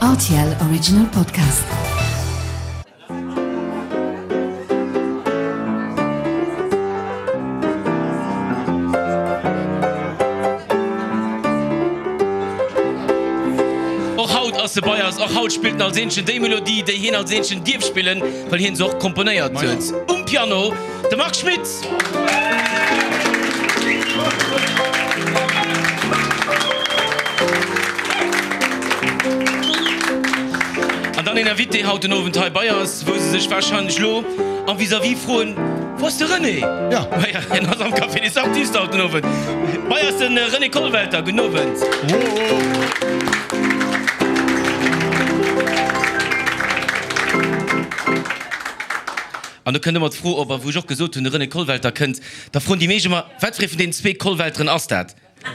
Rtl Original Podcast. Och haut ass e bei eis, och haut spillt en als eenzegen déi Melodie, déi hien als eenzegen dierf spillen, well hien se och komponéiert huet. Um Piano de Marc Schmitt. An dann een Invité haut den Owend hei bei eis, wou se sech warscheinlech lo am Vis-à-vis froen, Wou ass de René? Ja. Maja, hien ass am Café des Artistes haut den Owend. Bei eis de René Kollwelter. Gudden Owend. An do kënnt ëmmer d'Fro op, a wou ech och gesot hunn, de René Kollwelter kënnt, da froen déi meescht ëmmer, Wat fir ee vun deenen zwee Kollwelteren ass dat?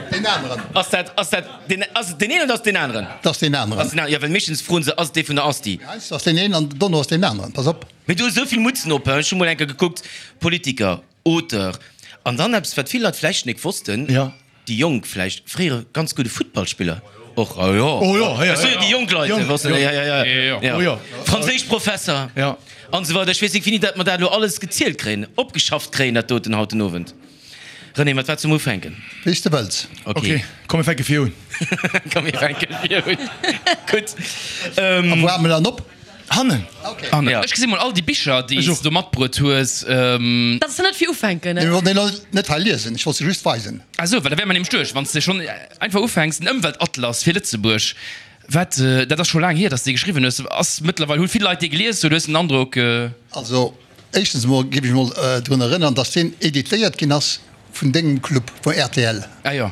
Deen aneren. Ass dat, ass dat deen, ass et deen een oder ass et deen aneren? Dat ass deen aneren. Ass deen aneren, jo, well meeschtens froen se, ass et dee vun der Asti? Heiansdo ass deen een an dono ass deen aneren. Pass op. Mee du hues esou vill Mutzen op, ech hu mol eng Kéier gekuckt, Politiker, Auteur, an dann eppes, wat vill Leit vläicht nek wossten, Jo. Déi Jonk vläicht, fréiere ganz gudde Futtballspiller och, oh jo, Oh jo, ech soe jo déi jonk Leit, Jonk, wosst de, jo. ja, ja, ja, Oh jo. Franséisch Professer Ja. an esou weider. Ech weess nik, wéini dat mer dat elo alles gezielt kréien, opgeschafft kréien, dat doten haut den Owend. René, mat wat solle mer ufänken? Wéi s de wëlls. Ok. Ok, komm mir fänke vir un. Komm mir fänke vir un. Gutt. A wou hale mer dann op? Hannen. Hannen. Ech gesi mol all déi Bicher, déi Ech s och. du matbruet hues. Dat ass net fir ufänken, ne? Mir wollten déi net hei liesen, ech wollt se just weisen. Ah sou, well da wäre mer nämlech duerch, wann s de schonn einfach ufänks. Den Ëmweltatlas fir Lëtzebuerg, wat, dat ass scho laang hier, datt s de dee geschriwwen hues. Ass mëttlerweil, hu vill Leit dee gelies oder hues de den Androck? Also, éischtens emol géif ech mol drun erënnern, datt deen editéiert ginn ass Vun dengem Club, vun rtl. Ah jo.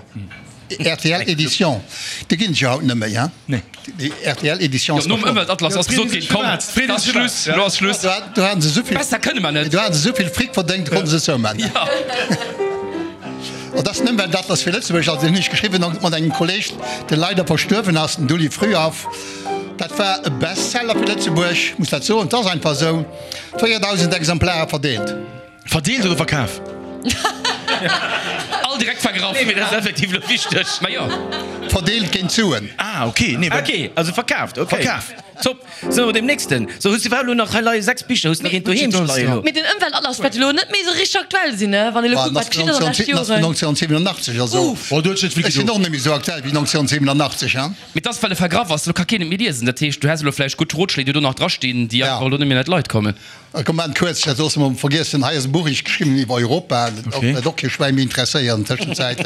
Rtl Edition, déi ginn et jo haut net méi, hein? Nee. Déi rtl Edition Jo, ass nom verschwonnen. Ëmweltatlas ass gesot ginn, komm, et ass Schluss, elo ass Schluss. Do haten se esouvill. Besser kënne mer net. Do haten se esouvill Fric verdéngt, do konnte se zouman. Jo. An dat ass den Ëmweltatlas fir Lëtzebuerg, also deen hunn ech geschriwwen mat engem Kolleg, dee leider verstuerwen ass, den Dulli Frühauf. Dat war e Bestseller fir Lëtzebuerg, muss dat soen, et ass einfach esou, 4.000 Exemplare verdeelt. Verdeelt oder verkaf? All direkt vergraff. Nee, mee dat ass effektiv elo wichteg. Ma jo. Verdeelt géint Suen. Ah, ok. Nee, well. Ok, also verkaaft, ok. Verkaf. Top. Sou, deem nächsten. Sou, hues du iwwerhaapt elo nach, hei leie 6 Bicher, hues du nach eent doheem leien elo? Mee den Ëmweltatlas wäert elo net méi esou richteg aktuell sinn, ne? Wann ee elo kuckt, wat geschitt ass an de leschte Joren. 1987, also. Uff. Oh, do huet sech net vill Ech sinn gedoen. och net méi esou aktuell wéi 1987, hein. Mee 't ass, well e vergraff ass, elo ka keen et méi liesen. Dat heescht, du häss elo vläicht gutt Rotschléi, déi do nach drastinn, déi Ja. einfach elo net méi an d'Leit kommen. Komm maan kuerz, dat soss mer vergiessen. Hei ass e Buch ech geschriwwen iwwer Europa, dat och och kee Schwäin méi interesséiert an Tëschenzäit.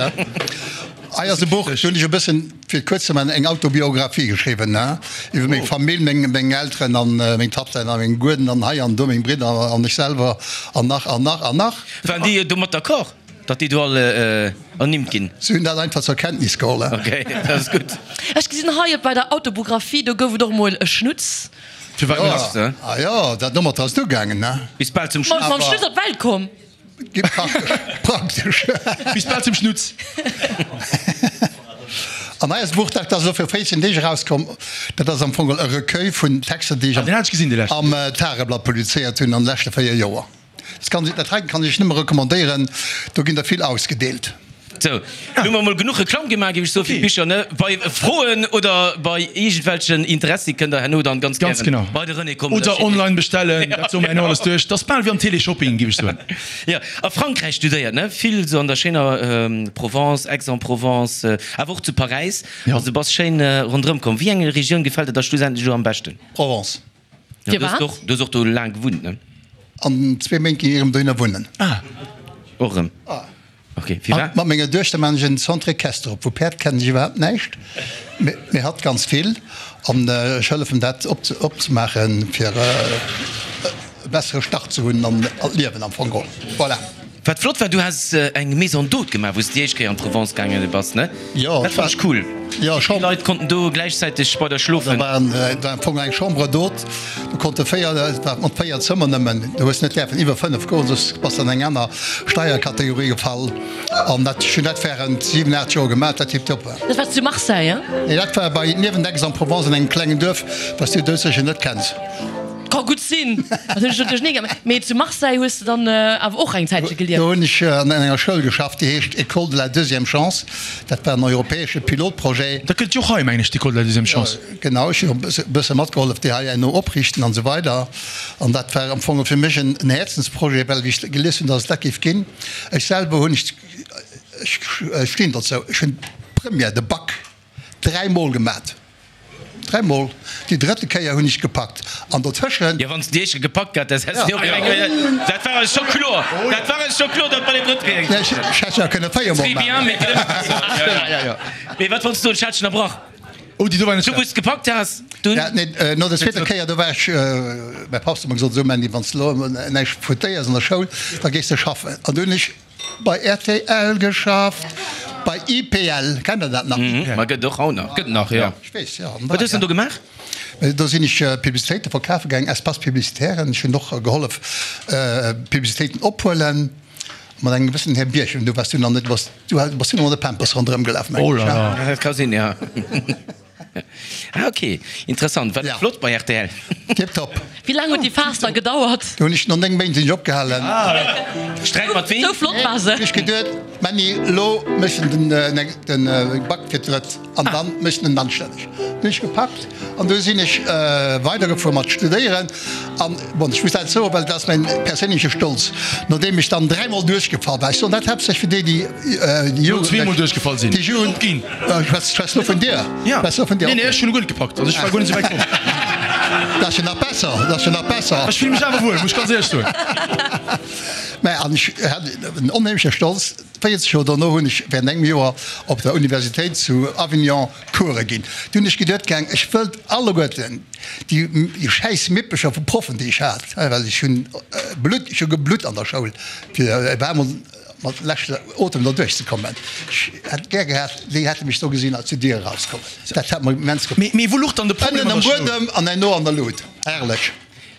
Hei ass e Buch, do hunn ech e bëssen, fir et kuerz ze maachen, eng Autobiographie geschriwwen iwwer meng Famill, meng meng Elteren an meng Tatten a meng Gueden an hei an do meng Bridder an ech selwer an nach an nach an nach. Waren déi domat d'accord, datt déi do all ernimmt ginn? Si hunn dat einfach zur Kenntnis geholl. Ok, dat ass gutt. Ech gesinn hei bei der Autobographie, do gouf et och mol e Schnutz. Firwat net? Ja. Ah jo, dat domat ass et ugaangen, ne? Bis bal zum Schnutz. Mam Schnutz op d'Welt komm. Praktesch, praktesch. Bis bal zum Schnutz. An hei ass e Buch, dat ass elo viru 14 Deeg erauskomm. Dat ass am Fong e Recueil vun Texter, déi ech am Tageblatt publizéiert hunn an de leschte 4 Joer. Dat kann, dat heiten kann ech nëmme recommandéieren, do ginn der vill ausgedeelt. Sou, lo hu mer mol genuch Reklamm gemaach, géif ech soen, fir d'Bicher, ne? Bei Froen oder bei iergendwelchen Interessi kënnt der herno dann ganz Ganz gären genau. bei de René kommen. Oder online bestellen, dat soe mer herno alles duerch. Dat ass bal wéi am Téléshopping, géif ech soen. Jo, a Frankräich studéiert, ne? Vill sou an der schéiner Provence, Aix-en-Provence, awer och zu Paräis. Also du bass schéin ronderëm komm. Wéi eng Regioun gefält der da schlussendlech elo am beschten? Provence. Ja, du hues och, du hues och do laang gewunnt, ne? An zwee Méint ginn ech erëm dohinner wunnen. Ah. Och erëm? Ah. Ok, firwat? Mat menger Duechter maan ech en Centre équestre op. Vu Päerd kennen ech iwwerhaapt näischt, mee hatt ganz vill. An ech hëllefen dat opzemaachen, fir e bessere Start ze hunn an d'Liewen am Fong geholl. Voilà. Wat flott war, du has eng Maison d'hôte gemaach, wou s de déi éischt Kéier an d'Provence gaange bass, ne? Jo, Dat fand ech cool. Jo, Vill Leit konnten do gläichzäiteg bei der schlofen. Da war am Fong eng Chambre d'hôte, do konnte 4, dat war mat 4 Zëmmer nëmmen, du hues net däerfen iwwer 5 goen, soss bass de an eng aner Steierkategorie gefall. An dat, ech hunn dat während 7, 8 Joer gemaach, dat tiptop war. Dat war zu Marseille, hein? Nee, dat war bei niewent Aix-en-Provence an engem klengen Duerf, wat s du doudsécher net kenns. Ka gutt sinn, dat hunn ech natierlech ni gemaach. Mee zu Marseille hues de dann awer och eng Zäitche gelieft. Do hunn ech an enger Schoul geschafft, déi heescht École de la deuxième chance. Dat war en europäesche Pilotprojet. Dat gëtt jo och hei, mengen ech, d'École de la deuxième chance. Genau, ech hunn e bësse matgehollef, déi hei herno opriichten an esou weider. An dat war am Fong fir mech en Häerzensprojet, well wéi ech gelies hunn, datt et dat géif ginn, ech selwer hunn, ech stinn dozou, ech hunn d'Première, de Bac dräimol gemat, dräimol, déi drëtte Kéier hunn ech gepackt an dotëschent. Jo, wann s de déi éischt gepackt hat häss, häss de och eng, dat war eis scho kloer, dat war eis scho kloer, datt bei der drëtt Kéier. Ech hätt jo kënne véiermol maachen. Mee wat wollts du soen, ech hat dech ënnerbrach. Oh, déi do war net Du, wou s de gepackt has, dunn. Ja, nee, no der zweeter Kéier, do war ech, mäi Papp huet mer gesot, Esou Mandy, wann s de elo näischt foutéiers an der Schoul, da gees de schaffen. An du hunn ech bei rtl geschafft, bei IPL, kennt der dat nach? Ma gëtt och haut nach. Gëtt nach, jo. Ech weess, jo. Wat hues de do gemaach? Do sinn ech Publicitéite verkafe gaangen, Espaces publicitairen. Ech hunn och gehollef Publicitéiten ophuelen. Mat engem gewëssenen Här Bierchem, do waars du nach net, du bass, du bass du nach mat de Pampers ronderëm gelaf, mengen ech, ja? Dat ka sinn, ja. Ah, ok, interessant. War dat flott bei rtl? Tiptop. Wéi laang huet déi Phas da gedauert? Do hunn ech, no 9 Méint sinn ech opgehalen. Sträit mat ween? Sou flott war se. Hunn ech geduet, Männi, elo méchs de den, den Bac fir d'Drëtt an dann méchs de en anstänneg. Hunn ech gepackt an du sinn ech weidergefuer mat studéieren. An, bon, ech muss dat soen, well dat ass mäin perséinleche Stolz, nodeem ech dann dräimol duerchgefall war, ech soen dat haaptsächlech fir déi, déi déi Jugend, zweemol duerchgefall sinn, déi Jugend, opginn. Ech schwätz, schwätz lo vun dir. Ja. Schwätz lo vun dir. Nee, nee, ech hunn guer net gepackt, also ech war guer net esou wäit komm. Dat ass jo nach besser, dat ass jo nach besser. Ech fille mech awer wuel, muss ech ganz éierlech soen. Mä, an ech hat en onheemleche Stolz, 40 Joer dono hunn ech während engem Joer op der Universitéit zu Avignon Course ginn. Du hunn ech geduet, gaang, ech wëllt alleguerten déi schäiss Mippecher vu Proffen, déi ech hat, well ech hunn Blutt, ech hu geblutt an der Schoul, fir op eemol mat leschter Otem do duerchzekommen. Ech hätt gär gehat, déi hätte mech do gesinn als se d'Dier erauskommen. Dat hätt mer immens gefall. Mee wou luch dann de Problem Ënnen an am der Schoul? Buedem an herno an der Lut. Herrlech.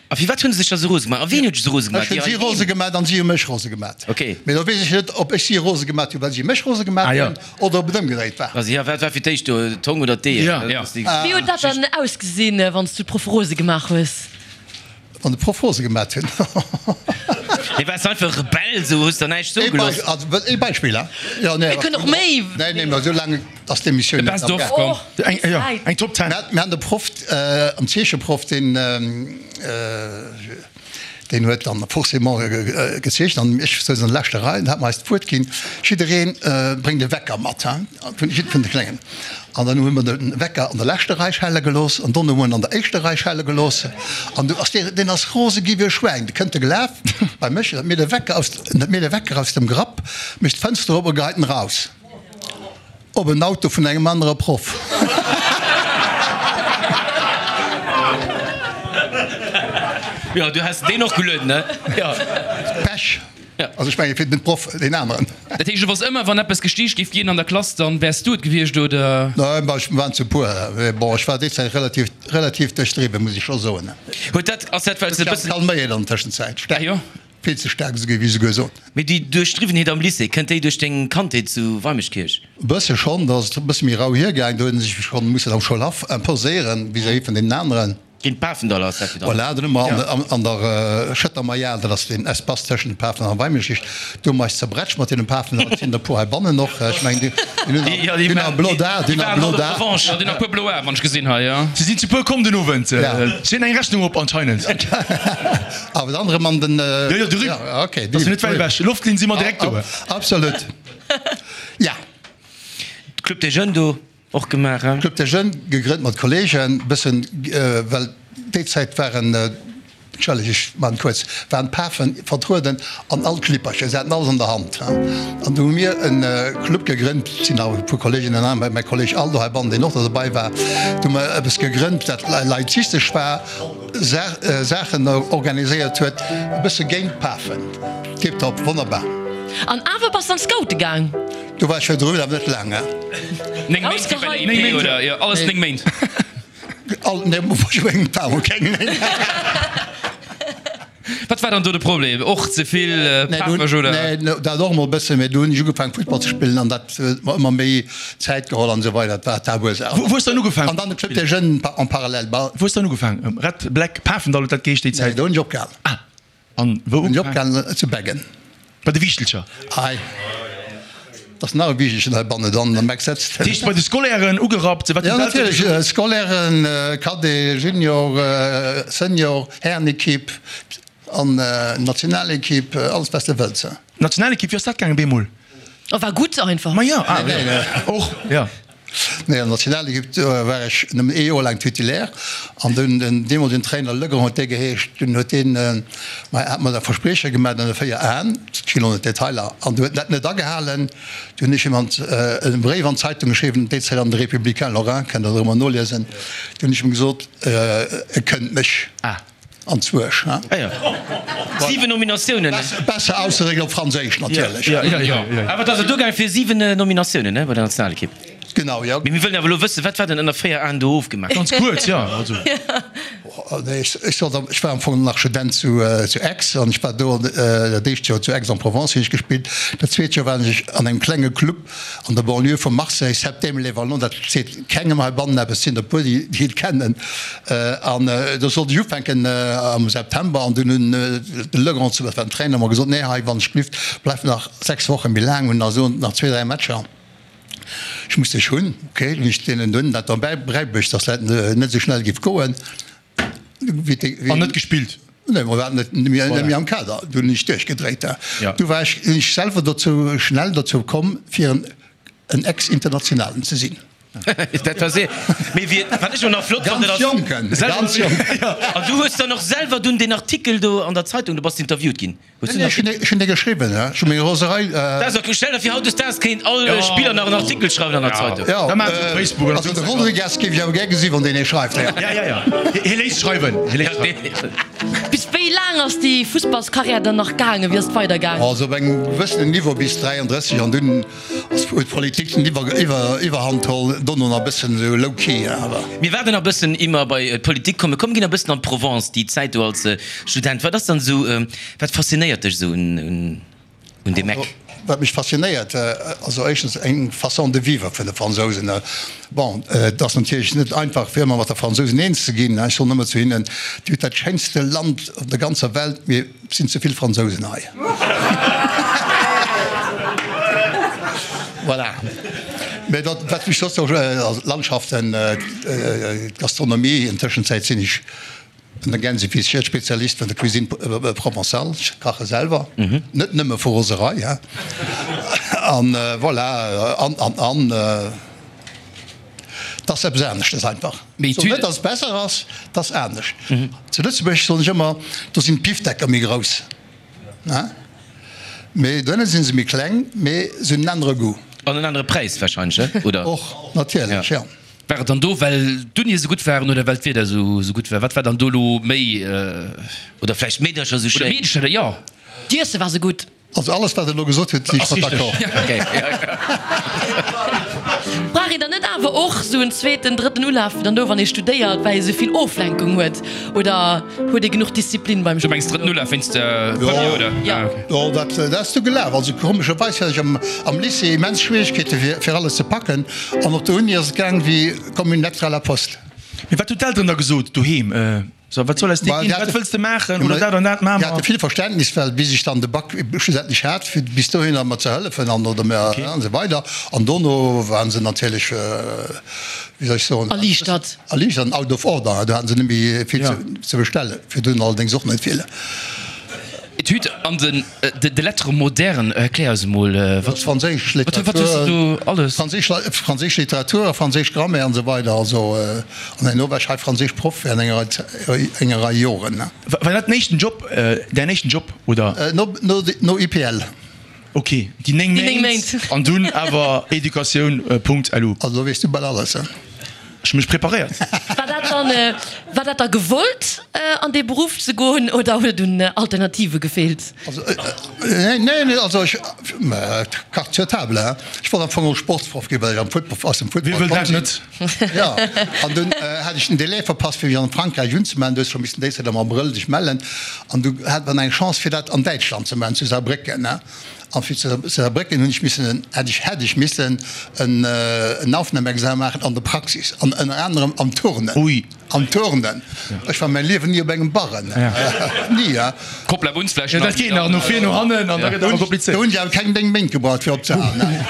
A firwat hunn se sech da sou rose gemaach? A wien huet sech sou rose gemaach? Ech hunn si rose gemaach an si hu mech rose gemaach. Ok. Mee do weess ech net, ob ech si rose gemaach hunn, well si mech rose gemaach hunn, oder ob et ëmgedréit war. Also jo, wat war fir d'éischt do, d'Hong oder d'Eeër? Ja. Dat ass déi Wéi huet dat dann ausgesinn, wann s du d'Proffe rose gemaach hues? Wann de Proff rose gemaach hunn? Nee, waars de einfach e Rebell, sou hues der näischt soe gelooss? Also ee Beispill, hein? Jo, nee. Mir kënnen och méi. Nee, nee, mä esou laang ass d'Emissioun De net Best am of, Gaang. komm. Oh, Eng, jo, eng Top Ten. Mir han de Proff, am Zeecheproff, deen, deen huet dann forcément gezeechent an ech souz an der leschter Rei an hat mer eis d'Wuert ginn, jiddereen bréngt e Wecker mat, hein, vun jid vun de Kléngen. An dann hu mer de Wecker an der leschter Rei schelle gelooss an dono hu mer en an der éischter Rei schelle gelooss an du ass dee, deen ass rose gi wéi e Schwäin, de kënnt e gelaf bei mech, huet mir de Wecker aus, huet mir de Wecker aus dem Grapp, mécht d'Fënster op a geheit en raus. Op en Auto vun engem anere Proff. Jo, du has deen och gelueden, ne? Jo. Pech. Ja. Also ech menge fir den Proff, deen aneren. Dat heescht, et ass ëmmer, wann eppes gestiicht géif ginn an der Klass, dann wäers du et gewiescht, oder? Nein, bah, ech waren zu puer. Mee bon, ech war déi Zäit relativ, relativ duerchdriwwen, muss ech scho soen. Huet dat, ass dat, well s de e bëssen. Calméiert an der Tëschenzäit. Ah jo. Vill ze staark, esou géif ech esouguer soen. Mee déi Duerchdriwwenheet am Lycée, kënnt déi duerch deng Kandheet zu Weimeschkierch? E bësse schonn, da ass et e bësse méi rau hiergaang. Do huet ee sech schonn mussen am Schoulhaff imposéieren vis-à-vis vun deenen aneren. Géint d'Pafendaller ass dat jo dann. Voilà, dann hu mer an der Schëtter Majal, dat ass deen Espace tëschent dem Pafendall an Weimeschkierch, do hu mer eis zerbrätscht mat deene Pafendaller. Et sinn der e puer heibannen och, ech mengen, déi hunn nach e blot A, déi hunn nach e blot A. Jo, déi hunn nach e puer blo Ae, wann ech gesinn hei, jo. Si sinn zu puer komm den Owend. Si hunn eng Rechnung op anscheinend. Awer de anere Mann, den. Jo, jo, de Luc. Ja, okay. Ass jo net wäit ewech. Loftlinn si mer direkt do. Absolut. Ja. Club des Jeunes do och gemaach, hein? Club des Jeunes gegrënnt mat Kollegen, bëssen, well déi Zäit waren, entschëllegt, ech maachen et kuerz, waren d'Pafen vertrueden an all Clippercher, se haten alles an der Hand, hein. An du hu mir e Club gegrënnt, et sinn nach e puer Kollegen, ënner anerem mäi Kolleg Aldo heibannen, deen och do dobei war, du hu mer eppes gegrënnt, dat laizistesch war. Saachen organiséiert huet, e bësse géint d'Pafen. Tiptop, wonnerbar. An awer bass de an d'Scoute gaang? Do war ech virdrun, awer net laang. 9 Méint fir bei der IP, oder? Jo, alles 9 Méint. All, nee, ech mengen, et waren keng 9. Wat war dann do de Problem? Och ze vill Pafeg, oder? Nee, dat och emol e bëssen, mee du hunn ech ugefaangen Futtball ze spillen an dat huet mer ëmmer méi Zäit geholl an esou weider. Dat war d'Haaptursaach. Wou hues de dann ugefaangen? An dann de Club des Jeunes en parallèle. Wou hues de dann ugefaangen? Red Black Pafendall huet dat geheescht déi Zäit? Nee, do hunn ech opgehalen. Ah. An wou Hunn ech opgehalen? Zu Beggen. Bei de Wiichtelcher? Ei, et ass nach e Wiichtelchen heibannen dann am Eck sëtzt. Dat heescht bei de Scolairen ugerappt? Wat hunn d'Eltere natierlech, gesot? Scolairen, Cadet, Junior, Senior, Härenekipp an Nationalekipp, alles wat s de wëlls. Nationalekipp, wéi ass dat gaangen bemol? Oh, war gutt einfach. Ma jo, ah, och, jo. Nee, an der Nationalekipp war ech nëmmen ee Joer laang Titulaire an dunn den deemolegen Trainer Legrand huet dee geheescht, dunn huet deen mer hat mer e Versprieche gemaach an de 4 Aen, ech ginn elo net d'Detailer, an du huet en dat net agehalen. Du hunn ech him an e Bréif an d'Zeitung geschriwwen, déi Zäit an de Républicain Lorrain, kënnt der erëm mol noliesen, du hunn ech him gesot, e kënnt mech. An zwoesch, hein? Ah jo. 7 Nominatiounen. Besser ausgedréckt op Franséisch natierlech. Jo, jo, jo. Awer et ass et ugaange fir 7 Nominatiounen, ne, bei der Nationalekipp. Genau, jo. Mee mir wëllen awer elo wëssen, wat war denn ënner 4 Aen do ofgemaach? Ganz kuerz, jo, also. Nee, ech sollt am, ech war am Fong nach Student zu, zu Aix an ech war do dat éischt Joer zu Aix-en-Provence hunn ech gespillt. Dat zweet Joer war ech an engem klenge Club an der Banlieue vu Marseille, Septème-les-Vallons, dat seet kengem heibannen eppes, sinn der e puer, déi et kennen. An do sollt ech ufänken am September an dunn hunn de Legrand, dat war den Trainer, mer gesot, nee hei, wann ech glift, bleif nach 6 Woche méi laang, hunn also nach zwee, dräi Matcher, ech muss dech hunn. Okay, hunn ech deenen dunn dat da bäibruecht, datt dat net esou schnell géif goen. An net gespillt? Nee, mer waren net méi am Kader. Du hunn ech duerchgedréit. Du war ech, hunn ech selwer dozou, schnell dozou komm, fir en Ex-Internationalen ze sinn. Dat war se. Mee wie, wat ech och nach flott fannen, Ganz jonken, ganz jonken. An du hues dann och selwer dunn deen Artikel do an der Zeitung, du bass interviewt ginn. Hues du nach. Ech hunn dee geschriwwen, ja. Ech hu meng Roserei. Dat ass ok. Stell der vir, hautdesdaags kéint all Spiller nach en Artikel schreiwen an der Zeitung. Jo, also de Rodriguez géif ech awer gär gesi wann deen ee schreift. Ja, ja, ja. Hie léisst schreiwen. Hie léisst schreiwen. Bis wéi laang ass déi Fussballskarriär dann nach gaangen? Wéi ass et weidergaangen? Also op engem gewëssenen Niveau bis 33 an dunn ass huet d'Politik den Iwwer Iwwerhand geholl. Dono nach e bëssen esou low key awer. Mir waarden nach e bëssen, ier mer bei d'Politik kommen. Komm, ginn e bëssen an d'Provence, déi Zäit do als Student. Wat ass dann esou, wat faszinéiert dech esou un deem Eck? Wat mech faszinéiert, also éischtens eng Façon de vivre vun de Fransousen. Bon, et ass natierlech net einfach fir ëmmer mat de Fransousen eens ze ginn. Ech soen ëmmer zu hinnen, Dir hutt dat schéinste Land op der ganzer Welt, mee et sinn ze vill Fransousen hei. Voilà. Mee dat, wat mech soss och, also d'Landschaften, d'Gastronomie, an Tëschenzäit sinn ech An der Gänsefisschert, Spezialist vun der Cuisine provençale, ech kache selwer, net nëmme vu Roserei, hein. An voilà, an, an, an, et ass eppes aneschtes einfach. Ech soen net, datt et besser ass, et ass anescht. Zu Lëtzebuerg soen ech ëmmer, do sinn d'Bifdecker méi grouss, hein, mee dohinne si se méi kleng, mee se hunn en anere Goût. An en anere Präis wahrscheinlech, oder? Och, natierlech, jo. War et dann do well d'Unie esou gutt waren oder well d'Wieder esou gutt war? Wat war dann do elo méi? Oder vläicht d'Meedercher esou schéin? Oder d'Meedercher, jo. D'Iesse war esou gutt. Also alles wat der elo gesot hutt sinn ech mat d'accord. Brauch een dann net awer och esou en zweeten, drëtten Ulaf dann do wann ee studéiert, well ee esou vill Oflenkung huet? Oder huet ee genuch Disziplin beim Du mengs drëtten Ulaf wéinst der Première, oder? Jo. Jo, dat ass du gelaf. Also komescherweis hat ech am Lycée immens Schwieregkeete fir alles ze packen. An op der Uni ass et gaang wéi comme une lettre à la poste. Mee wat hunn d'Elteren da gesot doheem? So, wat soll aus dir ginn? Wat wëlls de maachen? Oder dat an dat maache mer? Déi hate vill Verständnis, well bis ech dann de Bac schlussendlech hat, fir bis dohinner mer ze hëllefen an oder mer an esou weider. An dono waren se natierlech, wéi soll ech soen? Erliichtert. Erliichtert an out of order. Do hate se net méi vill ze bestellen. Virdrun allerdéngs och net vill. Etüd an den de Lettres modernes, erklär eis emol, wat Franséisch Literatur, wat hues de do alles? Franséisch, franséisch Literatur a franséisch Grammaire an esou weider. Also, an herno war ech hei franséisch Proff während enger Rei, enger Rei Joren. War dat den éischten Job, däin éischten Job, oder? No, no, no IPL. Ok, déi 9 Méint an dunn awer Educatioun Punkt lu. Also do weess du bal alles, he? Ech hu mech preparéiert. War dat dann, war dat da gewollt an dee Beruff ze goen oder huet et un Alternative gefeelt? Also, nee, nee, nee, also ech, carte sur table, hein, ech wollt am Fong och Sportsproff ginn, well ech am Football, aus dem Football Wie wëll komm dat sinn. net? Jo, an dunn hat ech den Delai verpasst, fir mech an Frankräich unzemellen. Du hues scho missen déi Zäit am Abrëll dech mellen. An du hat mer eng Chance, fir dat an Däitschland ze maachen, zu Saarbrécken, hein. An fir zu Saarbrécken hunn ech missen, hätt ech, hätt ech missen en, en Aufnahmeexamen maachen an der Praxis, an ënner anerem am Turnen. Ui. Am Turnen. Ech war mäi Liewen ni op engem Barren. Ni, hein. Koppel ab uns vläicht nach. Dat geet nach no vir, no hannen, an da gëtt et awer komplizéiert. Do hunn ech awer keng 9 Méint gebraucht fir opzehalen, hein.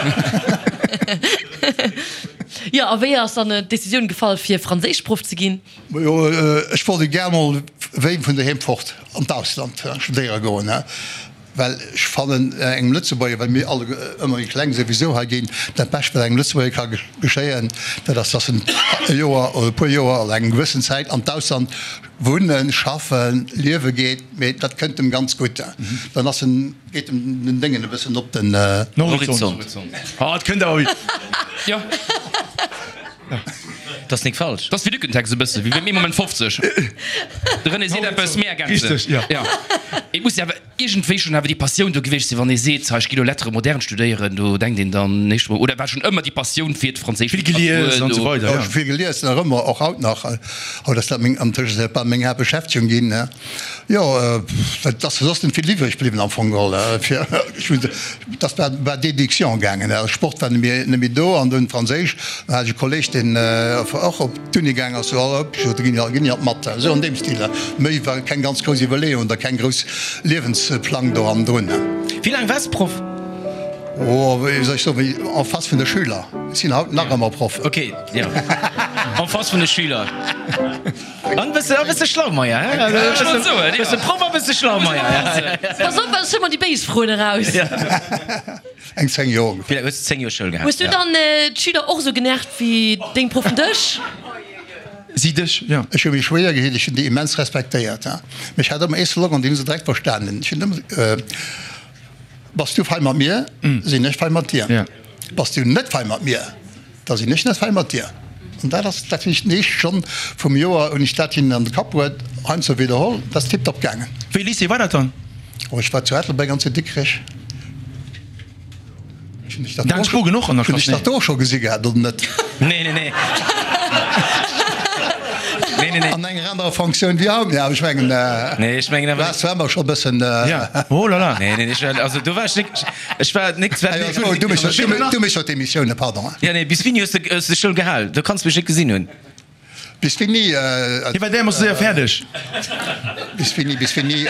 Jo, a wéi ass dann d'Decisioun gefall fir Franséischproff ze ginn? Majo, ech wollt e gär mol wéi vun doheem fort an d'Ausland studéiere goen, well ech fannen engem Lëtzebuerger, well mir alle ëmmer méi kleng souwisou hei ginn, dat Bescht wat engem Lëtzebuerger ka geschéien, dat ass, dass en e Joer oder e puer Joer oder eng gewëssen Zäit an d'Ausland wunnen, schaffen, liewe geet, mee dat kënnt em ganz gutt. Dann ass en, geet em den Déngen e bëssen op den. Horizont. Ah, et kënnt awer. Jo. Dat ass nik falsch. Dat ass wéi Lückentext e bësse wéi beim Ee Moment 50. De René seet eppes, mir ergänzen. Richteg, jo. Jo. Et muss jo awer iergendwéi schonn awer déi Passioun do gewiescht sinn, wann ee seet, hei ech gi lo Lettres modernes studéieren, do denkt een dann nächst Mol, oder war schonn ëmmer déi Passioun fir d'franséisch Vill gelies an esou weider, Jo, jo. ech hu vill gelies, nach ëmmer, och haut nach. Haut ass dat meng, an Tëschenzäit bal meng Haaptbeschäftegung ginn. Jo, et ass soss net vill iwwreg bliwwen am Fong geholl. Fir, ech hunn, et ass war, war Déduction gaangen. Sport war net méi, net méi do an dunn Franséisch. Dann hat ech e Kolleg, deen och op d'Uni gaang ass, so, oh, ech sot, ginn ginn op Math. Esou an deem Stil. Méi war keng ganz grouss Iwwerleeung oder keng grouss Liewensplang do hannendrun. Wéi laang waars de Proff? Oh, wéi soll ech soen, wéi en face vun de Schüler. Ech sinn haut nach ëmmer Proff. Ok, jo, en face vun de Schüler. An bësse, a bësse Schlaumeier, hä? Also, Ech wollt soen, ja. Bësse Proff a bësse Schlaumeier. Pass op, ech hu mer déi béis Froen eraus. Eng 10 Joer ongeféier. Wéi laang hues de 10 Joer Schoul gehat? Hues du dann d'Schüler och esou genervt wéi deng Proffen dech? Si dech, jo. Ech hu mech schwéier gehitt, ech hunn déi immens respektéiert, mee ech hat ëmmer ee Slogan, deen hu se direkt verstanen, ech hunn ëmmer, Bass du fei mat mir, sinn ech fei mat dir. Bass du net fei mat mir, Da sinn ech net fei mat dir. An dat ass, dat hunn ech den éischte Stonn vum Joer hunn ech dat hinnen an de Kapp bruet, heiansdo widderholl, dat ass tiptop gaangen. Wéi Lycée war dat dann? Oh, ech war zu Ettelbréck an zu Dikrech. Hunn ech dat Daan Spogen och an der hunn Klass? ech dat do scho gesi gehat oder net? Nee, nee, nee. Nee, nee, nee. An enger anerer Fonctioun wéi haut, mee awer ech mengen, Nee, ech mengen du awer. waars zwar ëmmer scho e bëssen. Ja, oh la la. Nee, nee, ech war, also do war ech nik, ech war nik, Oh, du méchs du méchs jo d'Emissioune, pardon. Ja, nee, bis wéini hues de hues de Schoul gehal? Do kanns de mech net gesinn hunn. Bis wéini? Hie war därmoosse séier fäerdeg. Bis wéini, bis wéini?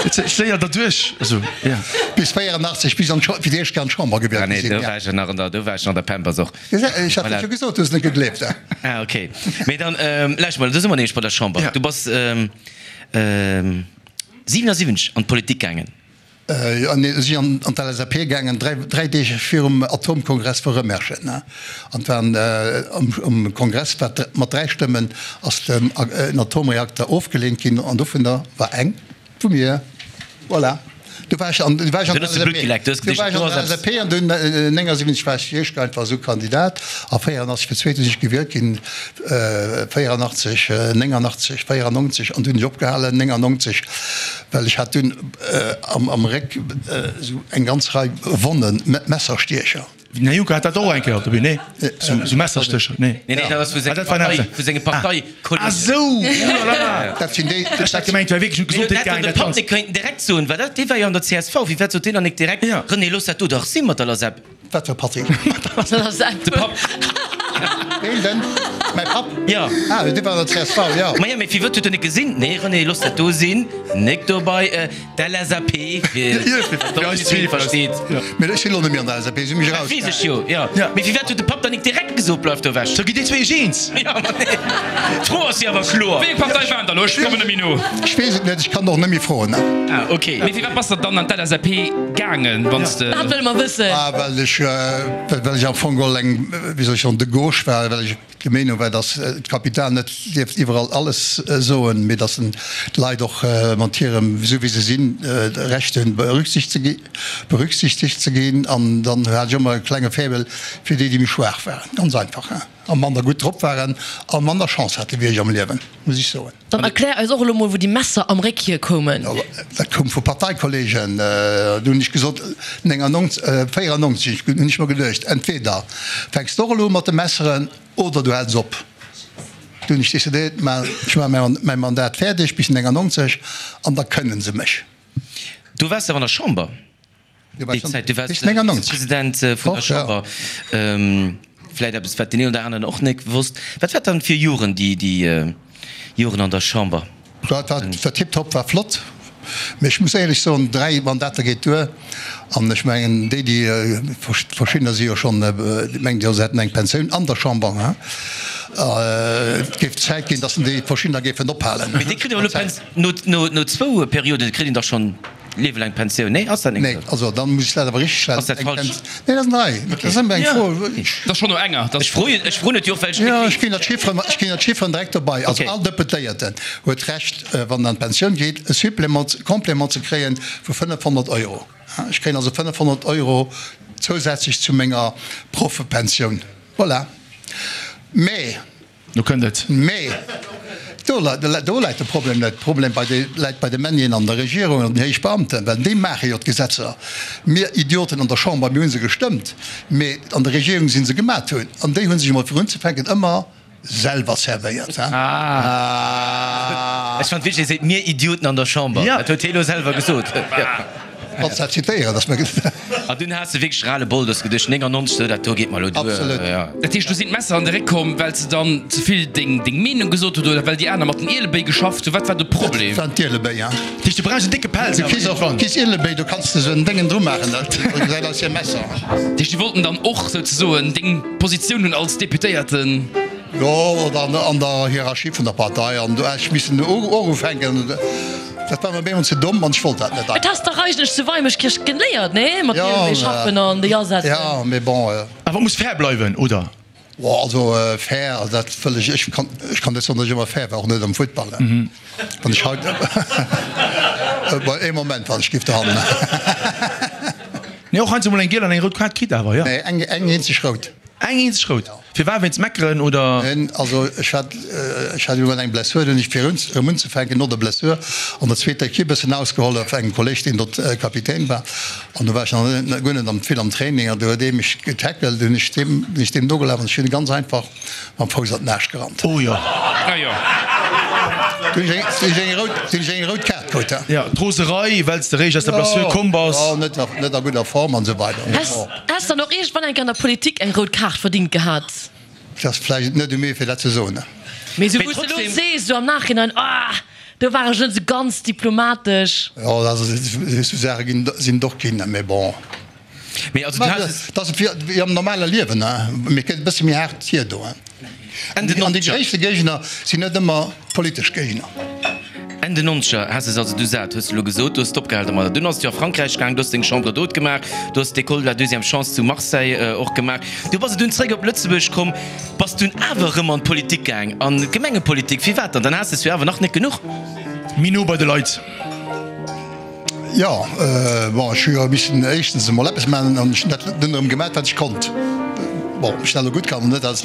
Séier derduerch, also, ja. Bis 84, bis an d'Scho fir d'éischt Kéier an d'Chamber gewielt Ah, nee, gi sinn, do ja. war ech jo nach an der, do war ech nach an der Pampers och. Ech hat et jo gesot, du hues net gegleeft. Ah, okay. Mee dann, lauscht mol, do si mer nämlech bei der Chamber. Ja. Du bass 77 an d'Politik gaangen. Jo, nee, ech sinn an d'LSAP gaangen, dräi Deeg virum Atomkongress vu Rëmerschen. An et waren um Kongress war mat 3 Stëmmen ass den Atomreakter ofgeleent ginn an dovunner war eng vu mir. Voilà. Du war ech an du war ech an der LSAP. Du war ech an der LSAP an dunn 79 war ech éischt einfach esou Kandidat a 84 fir d'zweete sinn ech gewielt ginn, 84, 89, 94 an dunn hunn ech opgehalen 99, well ech hat dunn am Réck esou eng ganz Rei Wonnen, Messerstiecher. Den Här Juncker hat dat och eng Kéier op der Bühn, nee? Sou Messerstécher, nee? Nee, nee, dat ass vu senger Partei, vu senge Parteikollegen. Ah sou, oh la la! Dat sinn déi. Ech hat gemengt, et wär wierklech un d'Gesondheet gaangen, Dat dat hätt de Papp Ganzt. net kéinten direkt soen, well dat, dee war jo an der csv. Wéi wat sot deen dann nik direkt, René, looss dat do dach si mat der LASEP? Wat fir Patrick? Mat der LASEP. De Papp. Ween denn? Mäi Papp? Jo. Ah, dee war an der csv, jo. Maja, mee firwat huet en net gesinn? Nee, René, looss dat do sinn, nik dobei. D'LSAP, fir eis zwee versteet. Mee ech sinn elo net méi an der LSAP, si hu mech Dat weess ech jo, jo. Ja. Mee firwat huet de Papp dann nik direkt gesot, Bleif do ewech? Sou gitt dir zwee iech eens? Jo, ma nee. D'Fro ass jo awer kloer. Wéi eng Partei waren da elo? Ech kommen net méi no. Ech weess et net, ech kann och net méi froen. Ah, ok. Mee firwat bass de dann an d'LSAP gaangen, wann s de. Dat wëlle mer wëssen. Ah, well ech, well ech am Fong geholl eng, wéi soll ech soen, de gauche war, well ech. Der Meenung war, datt d'Kapital net dierft iwwerall alles soen, mee datt d'Leit och mat hirem, esou wéi se sinn, Recht hunn, berücksichtegt ze ginn. An dann hat ech ëmmer e klenge Faible fir déi, déi méi schwaach waren, ganz einfach, a manner gutt drop waren a manner Chance hate wéi ech am Liewen, muss ech soen. Dann erklär eis och elo mol wou déi Messer am Réck hier koumen. Dat koum vu Parteikollegen. Do hunn ech gesot, 99, 94 hunn ech mer geduecht, entweder fänks de och elo u mat de Messeren oder du häls op. Du hunn ech decidéiert, ma ech maache mäi Mandat fäerdeg bis 99 an da kënne se mech. Du waars awer an der Chamber. Déi Zäit, du waars Vizepresident vun der Chamber. Vläit eppes, wat deen een oder aneren och net wosst. Wat war dann fir Joren, déi Joren an der Chamber? Dat war tiptop, war flott. Mee ech muss éierlech soen, 3 Mandater geet duer. An ech mengen, déi, déi, verschiddener si jo schonn, mengen jo, se hätten eng Pensioun an der Chamber. Et géif Zäit ginn, datt déi verschiddener géifen ophalen. Mee déi kritt awer elo no zwou Perioden kritt een dach schonn. Liewelaang Pensioun, nee ass dat net esou? Nee, also dann muss ech dat awer richteg stellen. Ass dat falsch? Nee, dat ass nei. Dat ass ëmmer eng Fro. Dat ass schonn no enger. Ech froen, ech froen et jo och, well ech net weess. Jo, ech ginn der d'Chifferen, ech ginn der d'Chifferen direkt dobei. Also all Deputéierten huet d'Recht, wann en an d'Pensioun geet, e Supplément, Complément ze kréien vu 500 Euro. Ech kréien also 500 Euro zousätzlech zu menger Proffepensioun. Voilà. Mä. Do kënnt et. Mee do läit de Problem net. De Problem läit bei de Männien an der Regierung an den héich Beamten, well déi maache jo d'Gesetzer. Mir Idioten an der Chamber, mir hu se gestëmmt, mee an der Regierung si se gemat hunn. An déi hu sech emol fir unzefänken ëmmer selwer servéiert. Ech fand wierklech, hie seet mir Idioten an der Chamber. Dat huet hie elo selwer gesot. Kanns dat zitéieren, dass mer. An dunn has de wierklech ras le bol, du hues geduecht, 99, sou dat do geet mer elo duer. Absolut. Ja. Dat heescht, do sinn d'Messer an de Réck komm, well s de dann ze vill deng deng Meenung gesot hutt oder well déi aner mat den Ielebéi geschafft hunn? Wat war de Problem? Dat waren d'Ielebéi, ja. Dat heescht, du brauchs en décke Pelz Du kriss och, kriss Ielebéi, do kanns de sou en Déngen dru maachen, dat gesäit aus wéi e Messer. Dat heescht, déi wollten dann och souzesoen deng Positioun hunn als Deputéierten? Jo, oder an der Hierarchie vun der Partei. An do hat ech missen och ufänken. Dat war mir bemol ze domm an ech wollt dat net. Et has dach eigentlech zu Weimeschkierch geléiert, nee? Mat deem wéi schaffen an déi asetzen. Jo, mee bon. Awer muss fair bleiwen, oder? Bon, also fair, dat wëll ech, ech kann, ech kann net soen, datt ech ëmmer fair war, och net am Futtball. Wann ech haut, bon, ee Moment, wann ech giff dohannen. Nee, och heiansdo mol eng giel an eng rout Kaart kritt awer, jo? Nee, eng, eng eenzeg rout. Eng eenzeg rout. Firwat? Wéinst Meckeren oder? Neen, also ech hat, ech hat iwwerall eng Blessur, dunn hunn ech fir erëm unzefänken no der Blessur an der zweeter Equipe e bëssen ausgehollef, engem Kolleg deen dort Kapitän war, an do war ech nach net, guer net am vill am Training an do huet ee mech getackelt, dunn hunn ech deem, sinn ech deem nogelaf an ech hunn e ganz einfach mam Fouss an den Aarsch gerannt. Oh jo. Ah jo. Dunn hunn ech eng rout, dunn hunn ech eng rout Kaart krut. Jo, d'Roserei, well s de réischt aus der Blessur komm bass. Jo, net, net a gudder Form an esou weider. Häss dann och iergendwann eng Kéier an der Politik eng rout Kaart verdingt gehat? Et ass vläicht net u mir fir dat ze soen. Mee esou wou s de elo sees, esou am Nachhinein, ah do war ech net esou ganz diplomatesch. Jo, esou Saache ginn, sinn et och ginn, mee bon. Mee also du has. Dat ass wéi am normale Liewen, mee et gëtt e bësse méi haart virdoen. An déi gréisste Géigner sinn net ëmmer politesch Géigner. Enn den Nonzeger has es also du sat, hues de elo gesot, du hues opgehal domadder. Dunn ass et jo a Frankräich gaang, du hues deng Chambre d'hôte gemaach, du hues d'École de la deuxième chance zu Marseille och gemaach. Du bass et dunn zréck op Lëtzebuerg komm, bass dunn awer erëm an d'Politik gaang, an d'Gemengepolitik. Firwat dann? Dann has de es jo awer nach net genuch. Méi no bei de Leit. Jo, bon, ech hu jo missen éischtens emol eppes maachen an ech hunn dat dunn erëm gemaach, wat ech konnt. Bon, ob ech dat elo gutt kann oder net, dat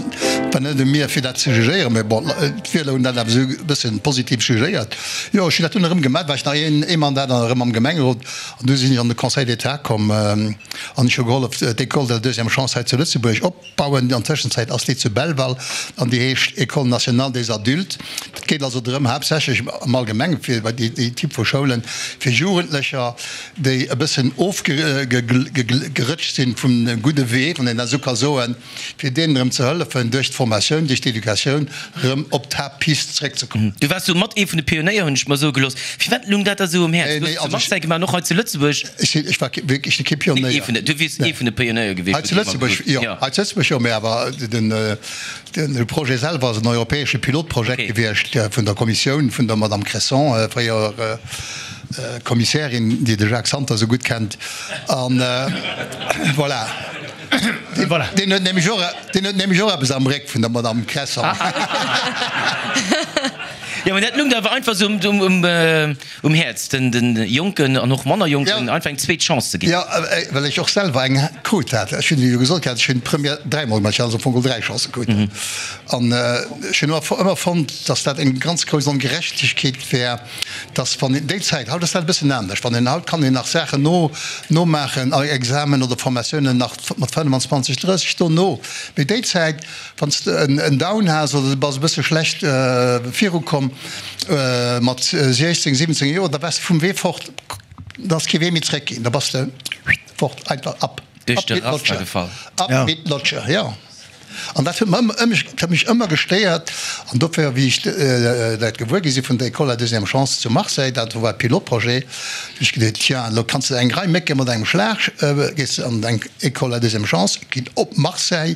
war net u mir, fir dat ze jugéieren, mä bon, d'Wieler hunn dat awer esou e bësse positiv jugéiert. Jo, ech hunn dat dunn erëm gemaach, war ech nach een ee Mandat an erëm am Gemengerot an du sinn ech an de Conseil d'État komm an ech hu gehollef, d'École de la deuxième chance hei zu Lëtzebuerg op. Bauen. An Tëschenzäit ass déi zu Belval an déi heescht École nationale des adultes. Et geet also drëm, haaptsächlech am Allgemenge fir bei déi Typ vu Schoulen, fir Jugendlecher, déi e bëssen ofgerëtscht sinn vum gudde Wee, wann een dat esou ka soen, fir deenen erëm ze hëllefen, duerch d'Formatioun, duerch d'Educatioun erëm op d'Haaptpist zeréckzekommen. Du waars do mat ee vun de Pionéier, hunn ech mer soe gelooss. Firwat lung dat der esou um Häerz? Du hues zu Marseille gemaach an och hei zu Lëtzebuerg. Ech sinn, ech war wierklech kee Pionéier. Ee vun de, du wiers ee vun de Pionéier gewiescht. Hei zu Lëtzebuerg, jo. Hei zu Lëtzebuerg, jo, mä awer den, de Projet selwer ass en europäesche Pilotprojekt gewiescht vun der Kommissioun, vun der Madame Cresson, fréier Kommissärin, déi de Jacques Santer esou gutt kennt. An voilà. Voilà. Deen huet nämlech och, deen huet nämlech och eppes am Réck vun der Madame Cresson. Jo, mä dat lung der awer einfach esou um, um, um Häerz, den, den Jonken an och manner Jonken einfach eng zweet Chance ze ginn. Jo, well ech och selwer eng krut hat. Ech hunn jo gesot gehat, ech hunn d'Première dräimol gemaach, ech hat also am Fong geholl dräi Chancë krut. An ech hunn ëmmer fonnt, datt dat eng ganz grouss Ongerechtegkeet wär, datt wann een, déi Zäit, haut ass dat e bëssen anescht, wann een, haut kann een nach Saachen no, nomaachen, Examen oder Formatiounen nach mat 25, 30 dono, mee déi Zäit, Wann s de en Down has oder du bass e bësse schlecht virukomm mat 16, 17 Joer, da waars de vum Wee fort, da ass kee Wee méi zréck ginn, da bass de fort, einfach ab, Duerch de Raster gefall. Ab mit Lotsche, jo. An dat huet mer ëmmer, dat huet mech ëmmer gestéiert. An dofir, wéi ech dat gewuer gi si vun der École à deuxième chance zu Marseille, dat war e Pilotprojet, hunn ech geduet, tiens, elo kanns de eng Rei Mécke mat engem Schlag, gees de an eng École à deuxième chance, ginn op Marseille,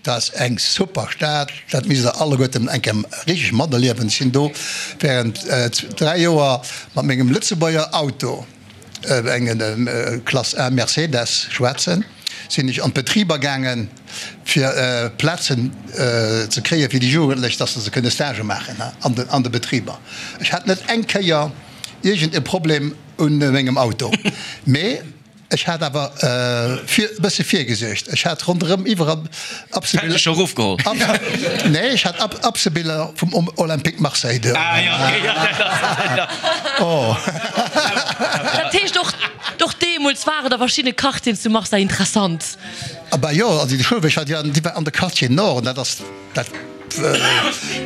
Dat ass eng super Stad, dat misst der alleguerten eng Kéier richteg materliewen. Ech sinn do während 3 Joer mat mengem Lëtzebuerger Auto, engem Klass A Mercedes, schwaarzen, sinn ech an d'Betriber gaangen, fir Plazen ze kréie fir déi Jugendlech, dass se kënne Stage maachen an de Betriber. Ech hat net eng Kéier iergend e Problem un mengem Auto, mee Ech hat awer e bësse virgesuergt. Ech hat ronderëm iwwerall Absebiller. Scho erofgeholl? Nee, ech hat Absebiller vum Olympique Marseille do. Ah jo, okay, jo, dat ass, jo. Oh. Dat heescht och, och deemools waren da verschidde Quartieren zu Marseille interessant? Ah bah jo, also déi Schoul, wou ech war, déi war an de Quartier Nord, an dat ass dat.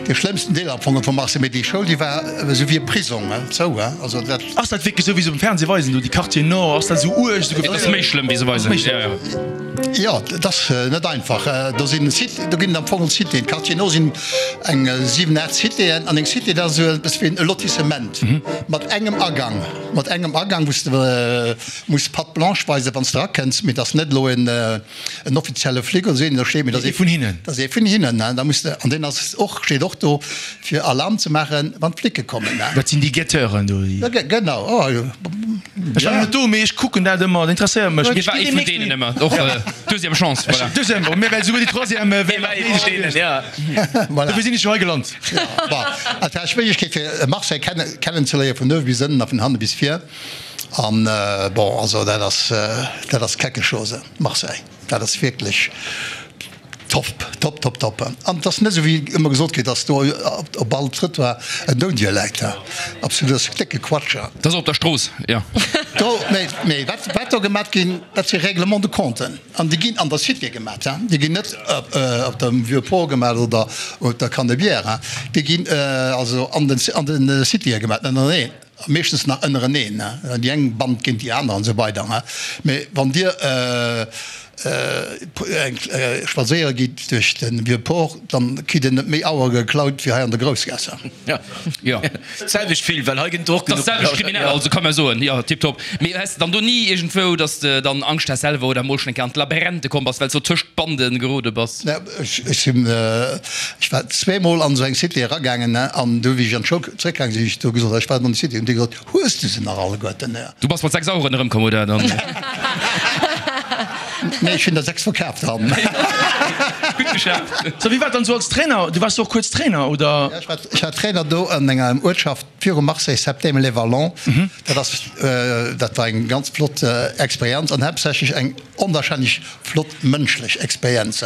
Dee schlëmmsten Deel am Fong vu Marseille, mee déi Schoul déi war esou wéi e Prisong, zou, also dat. Ass dat wierklech esou wéi se um Fernseh weisen do, déi Quartier Nord, ass dat esou uerg, esou geféierlech? Dat ass méi schlëmm wéi se weisen, jo jo. Jo, dat ass net einfach. Do sinn Cité, do ginn et am Fong Citéen. Quartier Nord sinn eng 7, 8 Citéen an eng Cité dat ass esou eppes wéi e Lotissement mat engem Agang, mat engem Agang wou s de muss Patte blanche weisen wann s de erakënns, mee et ass net elo en. En offizielle Flic oder esou een, do steet, mee dat ass ee vun hinnen. Dat ass ee vun hinnen, ne? Da muss de, an deen ass och, steet och do, fir Alarm ze maachen, wann d'Flicke kommen, ne? Dat sinn déi Guetteuren do, déi. Ja, genau, oh jo. Ech war net do, mee ech kucken dat ëmmer, dat interesséiert mech. Mir war ee vun deenen ëmmer, och deuxième chance, voilà. Deuxième, bon, mir well souguer déi troisième wär nach méi gewiescht. Ja. Voilà. Dofir sinn ech jo hei gelant. Ja, bon, et war Schwierigkeet fir Marseille kenne, kennenzeléieren, vun uewe bis ënnen a vun hanne bis vir. An, bon, also dat ass, dat ass quelque chose. Marseille, dat ass wierklech top, top, top, top. An et ass net esou wéi ëmmer gesot gëtt, dass do op all Trëttoir en Doudie läit. Absolut, dat ass décke Quatsch. Dat ass op der Strooss, jo. Do, mee, mee wat, wat do gemat ginn, dat si Règlements de compten. An déi ginn an der Cité gemat, déi ginn net op dem Vieux Port gemat oder op der Canebière, déi ginn also an den, an de Citéë gemat, ënnereneen. Meeschtens nach ënnereneen, déi eng Band géint déi aner an esou weider. Mee wann Dir spadséiere gitt duerch de Vieux Port, dann kritt Dir net méi Auere geklaut wéi hei an der Groussgaass. Jo, d'selwecht vill, well hei gëtt et och genuch. Dat ass d'selwecht kriminell, also kann mer soen, jo, tiptop. Mee häss de dann do ni iergendwou, dass de dann Angscht has selwer oder emol schonn eng Kéier an d'Labyrinthe komm bass, well s de do tëscht d'Bande gerode bass? Ech sinn, ech war zweemol an esou eng Cité eragaangen, an du wéi ech an d'Schoul zréckgaange sinn, hu ech do gesot, ech war an der Cité, hunn déi gesot, hues du se nach alleguerten? Du bass mat 6 Aueren erëmkomm, oder dann? Nee, ech hunn der 6 verkaaft dann. Gutt geschafft. So, wéi war et dann esou als Trainer? Du waars jo och kuerz Trainer, oder? Ja, ech war, ech war Trainer do an enger Uertschaft viru Marseille, Septème-les-Vallons. Dat ass, dat war eng ganz flott Experienz an haaptsächlech eng onwahrscheinlech Flott mënschlech Experienz.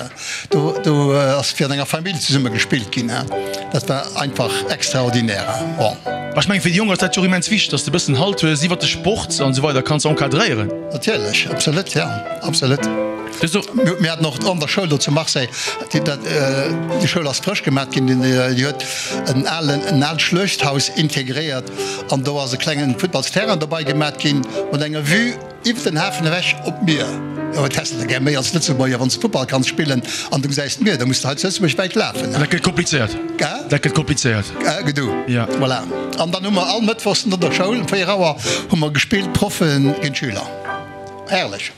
Do do ass fir an enger Famill zesumme gespillt ginn. Dat war einfach extraordinaire. Bon. Ech mengen fir déi Jonk ass dat jo och immens wichteg, dass de e bëssen Halt hues iwwert de Sport an esou weider, kanns encadréieren. Natierlech, absolut, jo, absolut. Mir haten och an der Schoul do zu Marseille, déi dat déi Schoul ass frësch gemat ginn, déi huet en alen en aalt Schluechthaus integréiert an do ass e klengen Futtballsterrain dobei gemat ginn mat enger Vue, Iwwer den Hafen ewech op d'Mier. Jo, wat häss de da gär méi als Lëtzebuerger, wann s de Futtball kanns spillen an du gesäis d'Mier, da muss de hei zu Lëtzebuerg wäit lafen. Dat gëtt komplizéiert. Gell? Dat gëtt komplizéiert. Gedu. Ja. Voilà. An dann hu mer all Mëttwochs no der Schoul um 4 Auer hu mer gespillt, Proffe géint Schüler. Herrlech.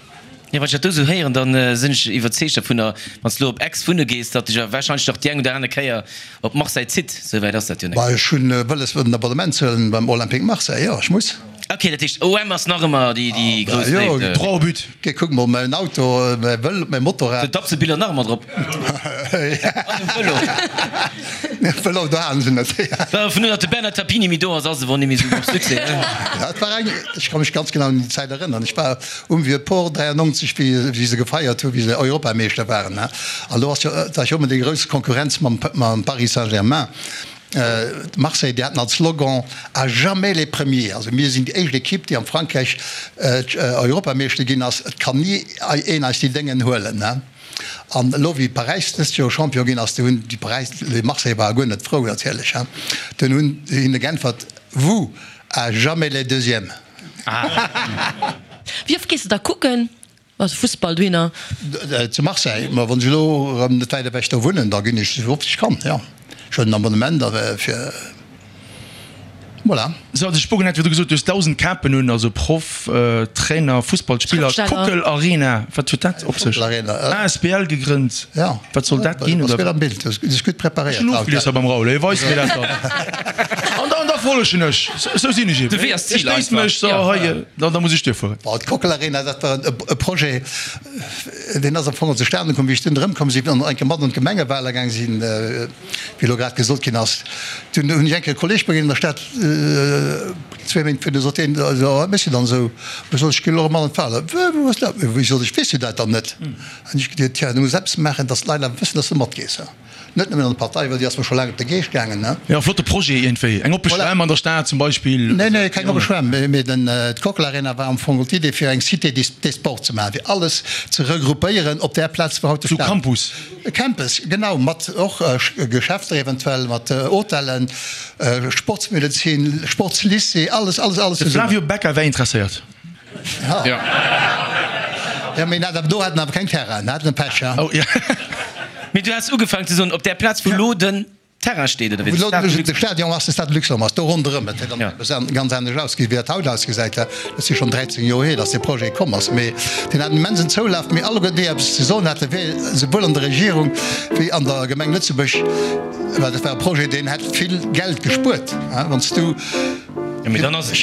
Jo, wann ech dat do esou héieren, da sinn ech iwwerzeegt dovunner, wann s de elo op Aix wunne gees, datt dech warscheinlech nach déi eng oder aner Kéier op Marseille zitt. Esou wäit ass dat jo net. Bah, ech hunn wëlles en Abonnement ze huelen beim Olympique Marseille, jo, ech muss. Ok, dat heescht OM ass nach ëmmer déi déi grouss Jo, Léift. Droit au but. Geh, kuck mol mäin Auto, mäi Vëlo, mäi Motorrad. Sinn d'Dapsebiller nach ëmmer drop? An de Vëlo. Nee, Vëlo, do halen se net. Well vun datt de Bernard Tapie méi do ass, ass e wor nemmi sou op Succès, ne? Ja, et war eng, ech ka mech ganz genau un déi Zäit erënneren. Ech war um Vieux Port 93, wéi wéi se gefeiert hu wéi se Europameeschter waren, ne? An do ass jo, et war jo ëmmer déi grouss Konkurrenz mam mam Paris Saint-Germain. Marseille, déi haten als Slogan À jamais les premiers. Also mir sinn déi éischt Ekipp, déi am Frankräich Europameeschter ginn ass. Et kann ni een eis déi Déngen huelen. An elo wéi Paräis dëst Joer Champion ginn ass, do hunn déi Paräis, les Marseillais ware guer net frou natierlech, dunn hunn se hinne geäntwert, Vous, à jamais les deuxièmes. Wéi oft gees de da kucken? Also Fussball dohinner? Zu Marseille, ma wann ech elo erëm net wäit ewech do wunnen, da ginn ech esou oft ech kann, jo. Ech hunn en Abonnement da fir, voilà. Sou, also ech Bogen hat virdru gesot, du hues 1.000 Kapen un, also Proff, Trainer, Fussballspiller, Schrëftsteller. Kockel Arena, wat huet dat op sech? Kockel Arena, Asbl gegrënnt, jo. Wat soll dat ginn? Bass gutt am Bild, du bass gutt Ech preparéiert hunn haut. ofgelies hei beim Raoul, hie weist mir dat dann. An dann da follegen ech, sou sinn ech eben. De Wee ass d'Zil Ech stéiss einfach. mech, so hei, da da muss ech duerfueren. Bon, d'Kockel Arena, dat war e Projet, deen ass am Fong zustane komm, wéi ech dunn erëmkomm sinn an eng Kéier mat an d'Gemengewahler gaang sinn, wéi elo grad gesot ginn ass. Dunn hunn ech eng Kéier e Kolleg begéint an der Stad, zwee Méint virdu, sot deen, jo, wat méchs du dann esou? Ech sot, ech ginn elo erëm mat an d'Wahler. Wou ass dat? Wéi, sot ech, weess du dat dann net? An ech geduet, tja, du muss eppes maachen, dass d'Leit awer wëssen, dass du matgees. Net nëmmen an der Partei, well déi ass mer scho laang op de Geescht gaangen. Jo, flotte Projet iergendwéi. Eng oppe Voilà. Schwämm an der Stad zum Beispill. Nee, nee, keng oppe Schwämm, mee den, d'Kockel Arena war am Fong d'Idee fir eng Cité des, des Sports ze maachen, fir alles ze regroupéieren op där Plaz, wou haut de Sou Stade. Campus. E Campus, genau, mat och Geschäfter eventuell, mat Hotellen, Sportsmedezin, Sportslycée, alles, alles, alles De zesummen. Flavio Becca wär interesséiert. Ja. Ja, mee dat do haten awer keng Terrain, haten e Pech, ja. Oh, ja. Mee du has ugefaangen ze soen, op där Plaz wou lo den Terrain steet, oder wéi? Wou lo de Stadion ass, de Stade Luxembourg ass, do ronderëm. Et huet dann Ja. eppes ganz anescht ausgesinn, wéi dat haut ausgesäit. Dat si schonn 13 Joer hier, datt dee Projet komm ass. Mee deen hat en immensen Zoulaf. Mee alleguerten, déi eppes ze soen haten, wéi souwuel an der Regierung wéi an der Gemeng Lëtzebuerg, well dat war e Projet, deen hätt vill Geld gespuert, wann s du, Ech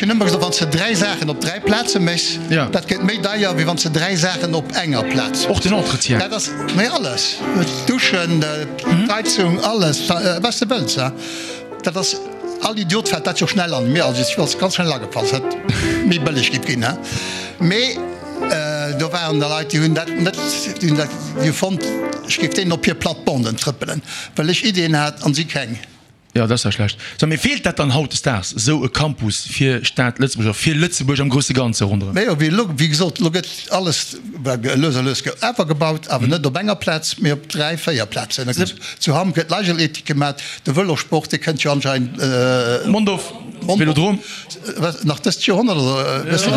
hunn ëmmer gesot, wann s de 3 Saachen op 3 Plaze méchs, dat gëtt méi deier, wéi wann s de 3 Saachen op enger Plaz méchs. Och den Entretien. Dat ass, mee alles, d'Duschen, d'Heizung, alles, wat s de wëlls. Dat ass, all Idiot fält dat jo schnell an. Mir, also ech ass ganz schnell agefall, dass dat méi bëlleg géif ginn. Mee do waren der Leit, déi hunn dat net, déi hunn dat, déi hu fonnt, ech géif deenen op hir Plattebanden trëppelen, well ech Iddien hat an si keng. Jo, dat ass ja schlecht. So, mee feelt dat dann hautdesdaags, esou e Campus fir Stad Lëtzebuerg a fir Lëtzebuerg am grousse Ganze ronderëm? Mee jo, wéi elo, wéi gesot, elo gëtt alles lues a lues awer gebaut, awer net op enger Plaz, mee op 3, 4 Plazen. Da gëtt zu Hamm gëtt Leichtathletik gemaat, de Vëlosport, dee kënnt jo anscheinend. Mondorf, Vélodrome. Wat, nach dëst Joerhonnert oder wëss de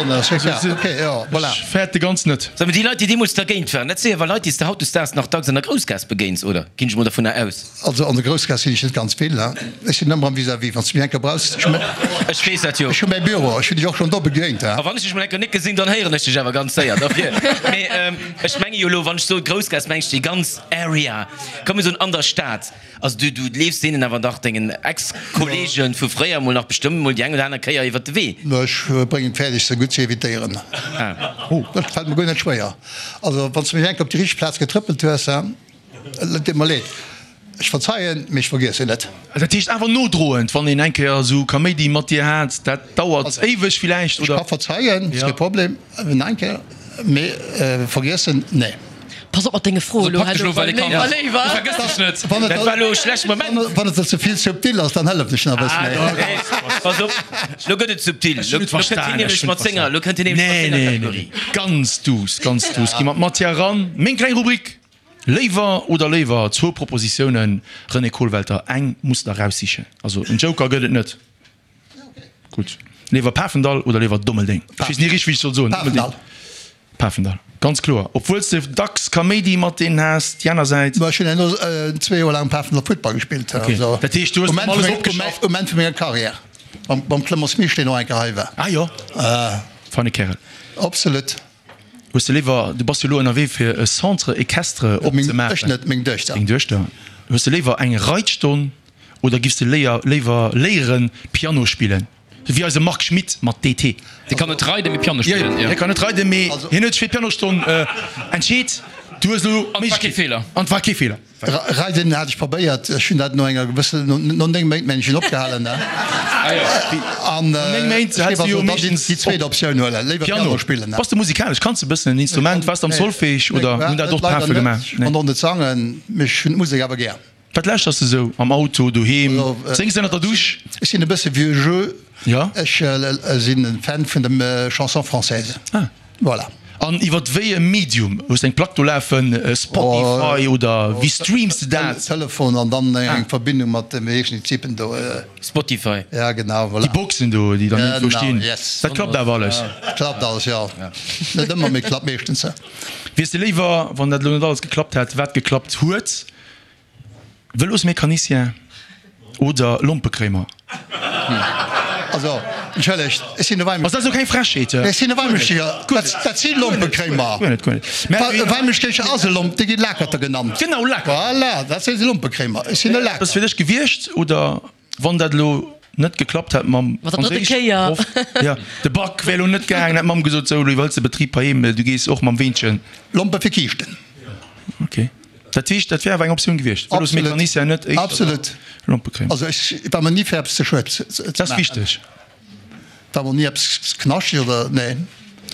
net? Ok, jo, voilà. Ech fäerte ganz net. Sag mol, déi Leit, déi deemools dergéint waren, dat si awer Leit, déi s de hautdesdaags nach dacks an der Groussgaass begéins, oder? Ginn ech mol dervunner aus. Also an der Groussgaass sinn ech net ganz vill. Ech sinn ëmmer am Vis-à-vis, wann s de mech eng Kéier brauchs. Ech weess dat jo. Ech hu mäi Büro, ech hunn dech och schonn do begéint. A wann ech dech mol eng Kéier net gesinn, dann héieren ech dech awer ganz séier derfir. Mee ech menge jo elo, wann ech soe Groussgaass, meng ech déi ganz Area, komm mir soen an der Stad. Also du, du leefs deenen awer dach, dengen Ex-Kollegen vu fréier mol nach bestëmmt mol déi eng oder aner Kéier iwwert de Wee. Ech bréngen et fäerdeg, se gutt ze evitéieren. Dat fält mer guer net schwéier. Also wann s de mech eng Kéier op déi richteg Plaz getrëppelt hues, Et deet mer leed. Ech verzeien, mee ech vergiessen net. Dat heescht awer nodroend, wann een eng Kéier esou Kaméidi mat dir hat, dat dauert éiweg villäicht, Ech oder? ka verzeien, ass kee Problem, eng Kéier, mee vergiessen, nee. Pass op mat denge Froen elo, Pack dech elo, well e kann. Léiwer, léiwer. Du vergëss dech net. Dat war elo e schlechte Moment. Wann et der ze vill subtil ass, dann hëllef ech nach e bëssen méi. Pass op, elo gëtt et subtil. Ech hunn et Elo kënnt hien verstan, ech nämlech hunn et mat senger, verstan. elo kënnt hien nämlech mat Nee, senger nee, nee, Kategorie. nee. Ganz duuss, ganz duuss. Gi mer d'Matière eran. Meng kleng Rubrik. Léiwer oder léiwer, zwou Propositiounen, René Kollwelter, eng muss der eraussichen. Also en Joker gëtt et net. Gutt. Léiwer Pafendall oder léiwer Dommeldeng? Ech weess ni richteg wéi ech soll soen. Pafendall. Pafendall, ganz kloer. Obwuel s de dacks Kaméidi mat deenen has, déi aner Säit. Ech hunn herno zwee Joer laang um Pafendall Futtball gespillt. Ok, dat heescht du hues Um erëm alles opgeschafft? Um Enn vu menger Karriär. Mam Clemence Misch, deen och eng Kéier hei war. Ah jo, feine Kärel. Absolut. Hues de léiwer, du bass jo elo ënnerwee fir e Centre équestre opzemaachen. Ech net, meng Duechter. Deng Duechter. Hues de léiwer eng Reitstonn oder giffs de léier léiwer léieren Piano spillen? Wéi eise Marc Schmitt mat DT. Dee kann net reiden, mee Piano spillen. Jo, hie kann net reiden, mee hien huet sech fir d'Pianostonn entscheet. Du hues elo An et war kee Feeler. An et war kee Feeler. Reiden hat ech probéiert, ech hunn dat no enger gewëssen, no 9 Méint mengen ech opgehalen. An No 9 Méint ech häls géif du jo also dann meeschtens déi zweet Optioun huelen, léiwer Piano. Piano spillen. Bass de musikalesch? Kanns de e bëssen en Instrument? Waars de am Solfège Nee, oder hunn dat och leider d'Prafe net. gemaach? Ech konnt och net sangen, mee ech hunn d'Musek awer gär. Wat lauschters de sou am Auto, doheem? Séngs de ënnert der Dusch? Ech sinn e bësse vieux jeu. Jo. Ech sinn e Fan vun dem Chanson française. Ah. Voilà. An iwwer wéi e Medium? Hues de eng Plack do lafen, Spotify oder wéi streams de dat? Telefon an dann eng Verbindung mat de wéi heeschen déi Typen do? Spotify. Ja genau, voilà. Déi Boxen do, déi dann iergendwou stinn. Genau, yes. Dat klappt awer alles? Klappt alles, jo. Net ëmmer, mee klappt meeschtens. Wiers de léiwer, wann dat elo net alles geklappt hätt, wat geklappt huet, Vëlosmecanicien oder Lompekréimer? Also, entschëllegt, ech sinn e Ass dat esou keng Frechheet? Ech sinn e Weimeschteger, dat si Lompekréimer. Guer net, guer net. E Weimeschteger ass e Lomp, dee gi Lakerter genannt. Genau, Lakerter. Voilà, dat si Lompekréimer. Ech sinn e Laker. Ass fir dech gewiescht oder wann dat elo net geklappt hätt mam Franséischproff, jo, de Bac wär elo net gaangen, hätt d'Mamm gesot, sou, elo iwwerhëls de Betrib heiheem, du gees och mam Weenchen. Lompe fir Kiischten. Ok. Dat heescht, dat wär awer eng Optioun gewiescht, Vëlosmecanicien net éischter Absolut. Lompekréimer. Also ech war mer ni fir eppes ze schued ze maachen. Dat ass wichteg. War mer ni eppes knaschteg oder nee.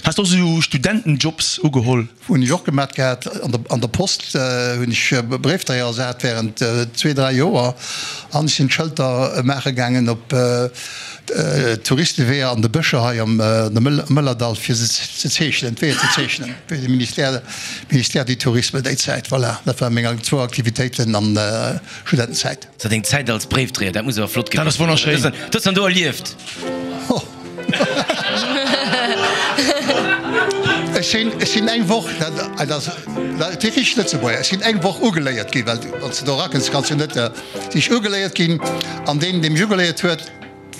Has de och esou Studentenjobs ugeholl? Hunn ech och gemat gehat. An der Post hunn ech Bréifdréier ersat während zwee, dräi Joer an ech sinn d'Schëlter maache gaangen op Touristeweeër an de Bëscher hei am Mëllerdall fir se ze zeechnen, d'Weeër ze zeechnen fir de Ministère, Ministère du Tourisme déi Zäit. Voilà, dat ware meng zwou Aktivitéiten an der Studentenzäit. So deng Zäit als Bréifdréier, dat muss awer flott Dat ass wonnerschéin. Dat hues dann do erlieft? Ech sinn, ech sinn eng Woch, dat ass dat si richteg Lëtzebuerger, ech sinn eng Woch ugeléiert ginn, well wann s de do erakënns, kanns du net, sinn ech ugeléiert ginn an deen, dee mech ugeléiert huet,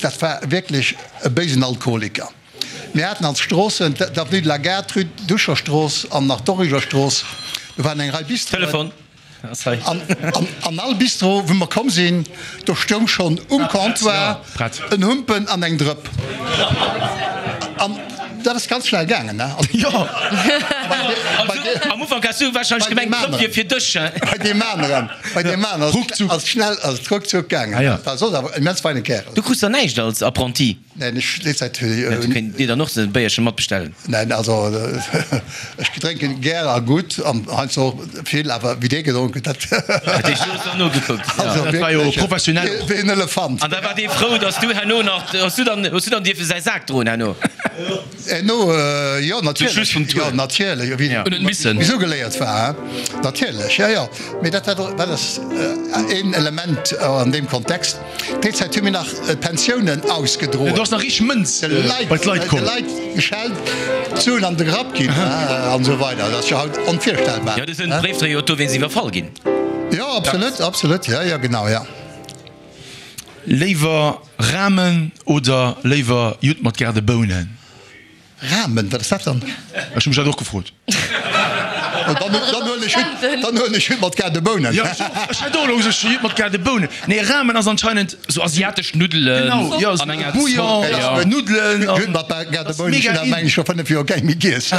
dat war wierklech e béisen Alkoholiker. Mir haten als Stroossen d'Avenue de la Gare, d'Rue Ducherstrooss an nach d'Origerstrooss. Do waren eng Rei Bistroen. Telefon ass hei. An all Bistro, wou mer komm sinn, do stoung schonn um Comptoir en Humpen an eng Drëpp. An dat ass ganz schnell gaangen, ne? Jo. Am Ufank has du warscheinlech gemengt, d'Drëpp wier fir dech, he? Bei deem aneren, bei deem aneren ass schnell, ass et ruckzuck gaangen. Dat war soss awer immens feine Kärel. Du krus dann näischt als Apprenti? Neen, ech déi Zäit. Du kéint dir dann och e Béierche matbestellen. Neen, also ech drénken gär a gutt an heiansdo och vill, awer wéi dee gedronk huet, dat. Dat heescht, du hues dann nogekuckt. Also Dat war jo professionell och. Wéi en Elefant. An da war dee frou, datt du herno nach, hues du dann, hues du dann dierfe säi Sak droen herno? Herno, jo, natierlech. Zum Schluss vum Tour. Jo, natierlech, wéi Huet net missen. wéi sougeléiert war, hein. Natierlech, jo, jo. Mee dat war, dat ass een Element an deem Kontext. Déi Zäit hu mir nach d'Pensiounen ausgedroen. Do ass nach richteg Mënz bei d'Leit komm. De Leit geschellt, d'Suen an de Grapp ginn an esou weider. Dat ass jo haut onvirstellbar. Jo, do sinn d'Bréifdréier jo dowéinst iwwerfall ginn. Jo, absolut, absolut, jo, jo, genau, jo. Léiwer Ramen oder léiwer Judd mat Gaardebounen? Ramen, wat ass dat dann? Ech hu mech dat och gefrot. Dann huelen ech Judd, dann huelen ech Judd mat Gaardebounen. Jo, ech och. Ech hätt och elo gesot, Judd mat Gaardebounen. Nee, Ramen ass anscheinend sou asiatesch Nuddelen genau, jo, an enger Bouillon, Zopp, jo. Nuddelen an Judd mat Gaardebounen, ech hunn dat meng ech scho 5 Joer keng méi giess.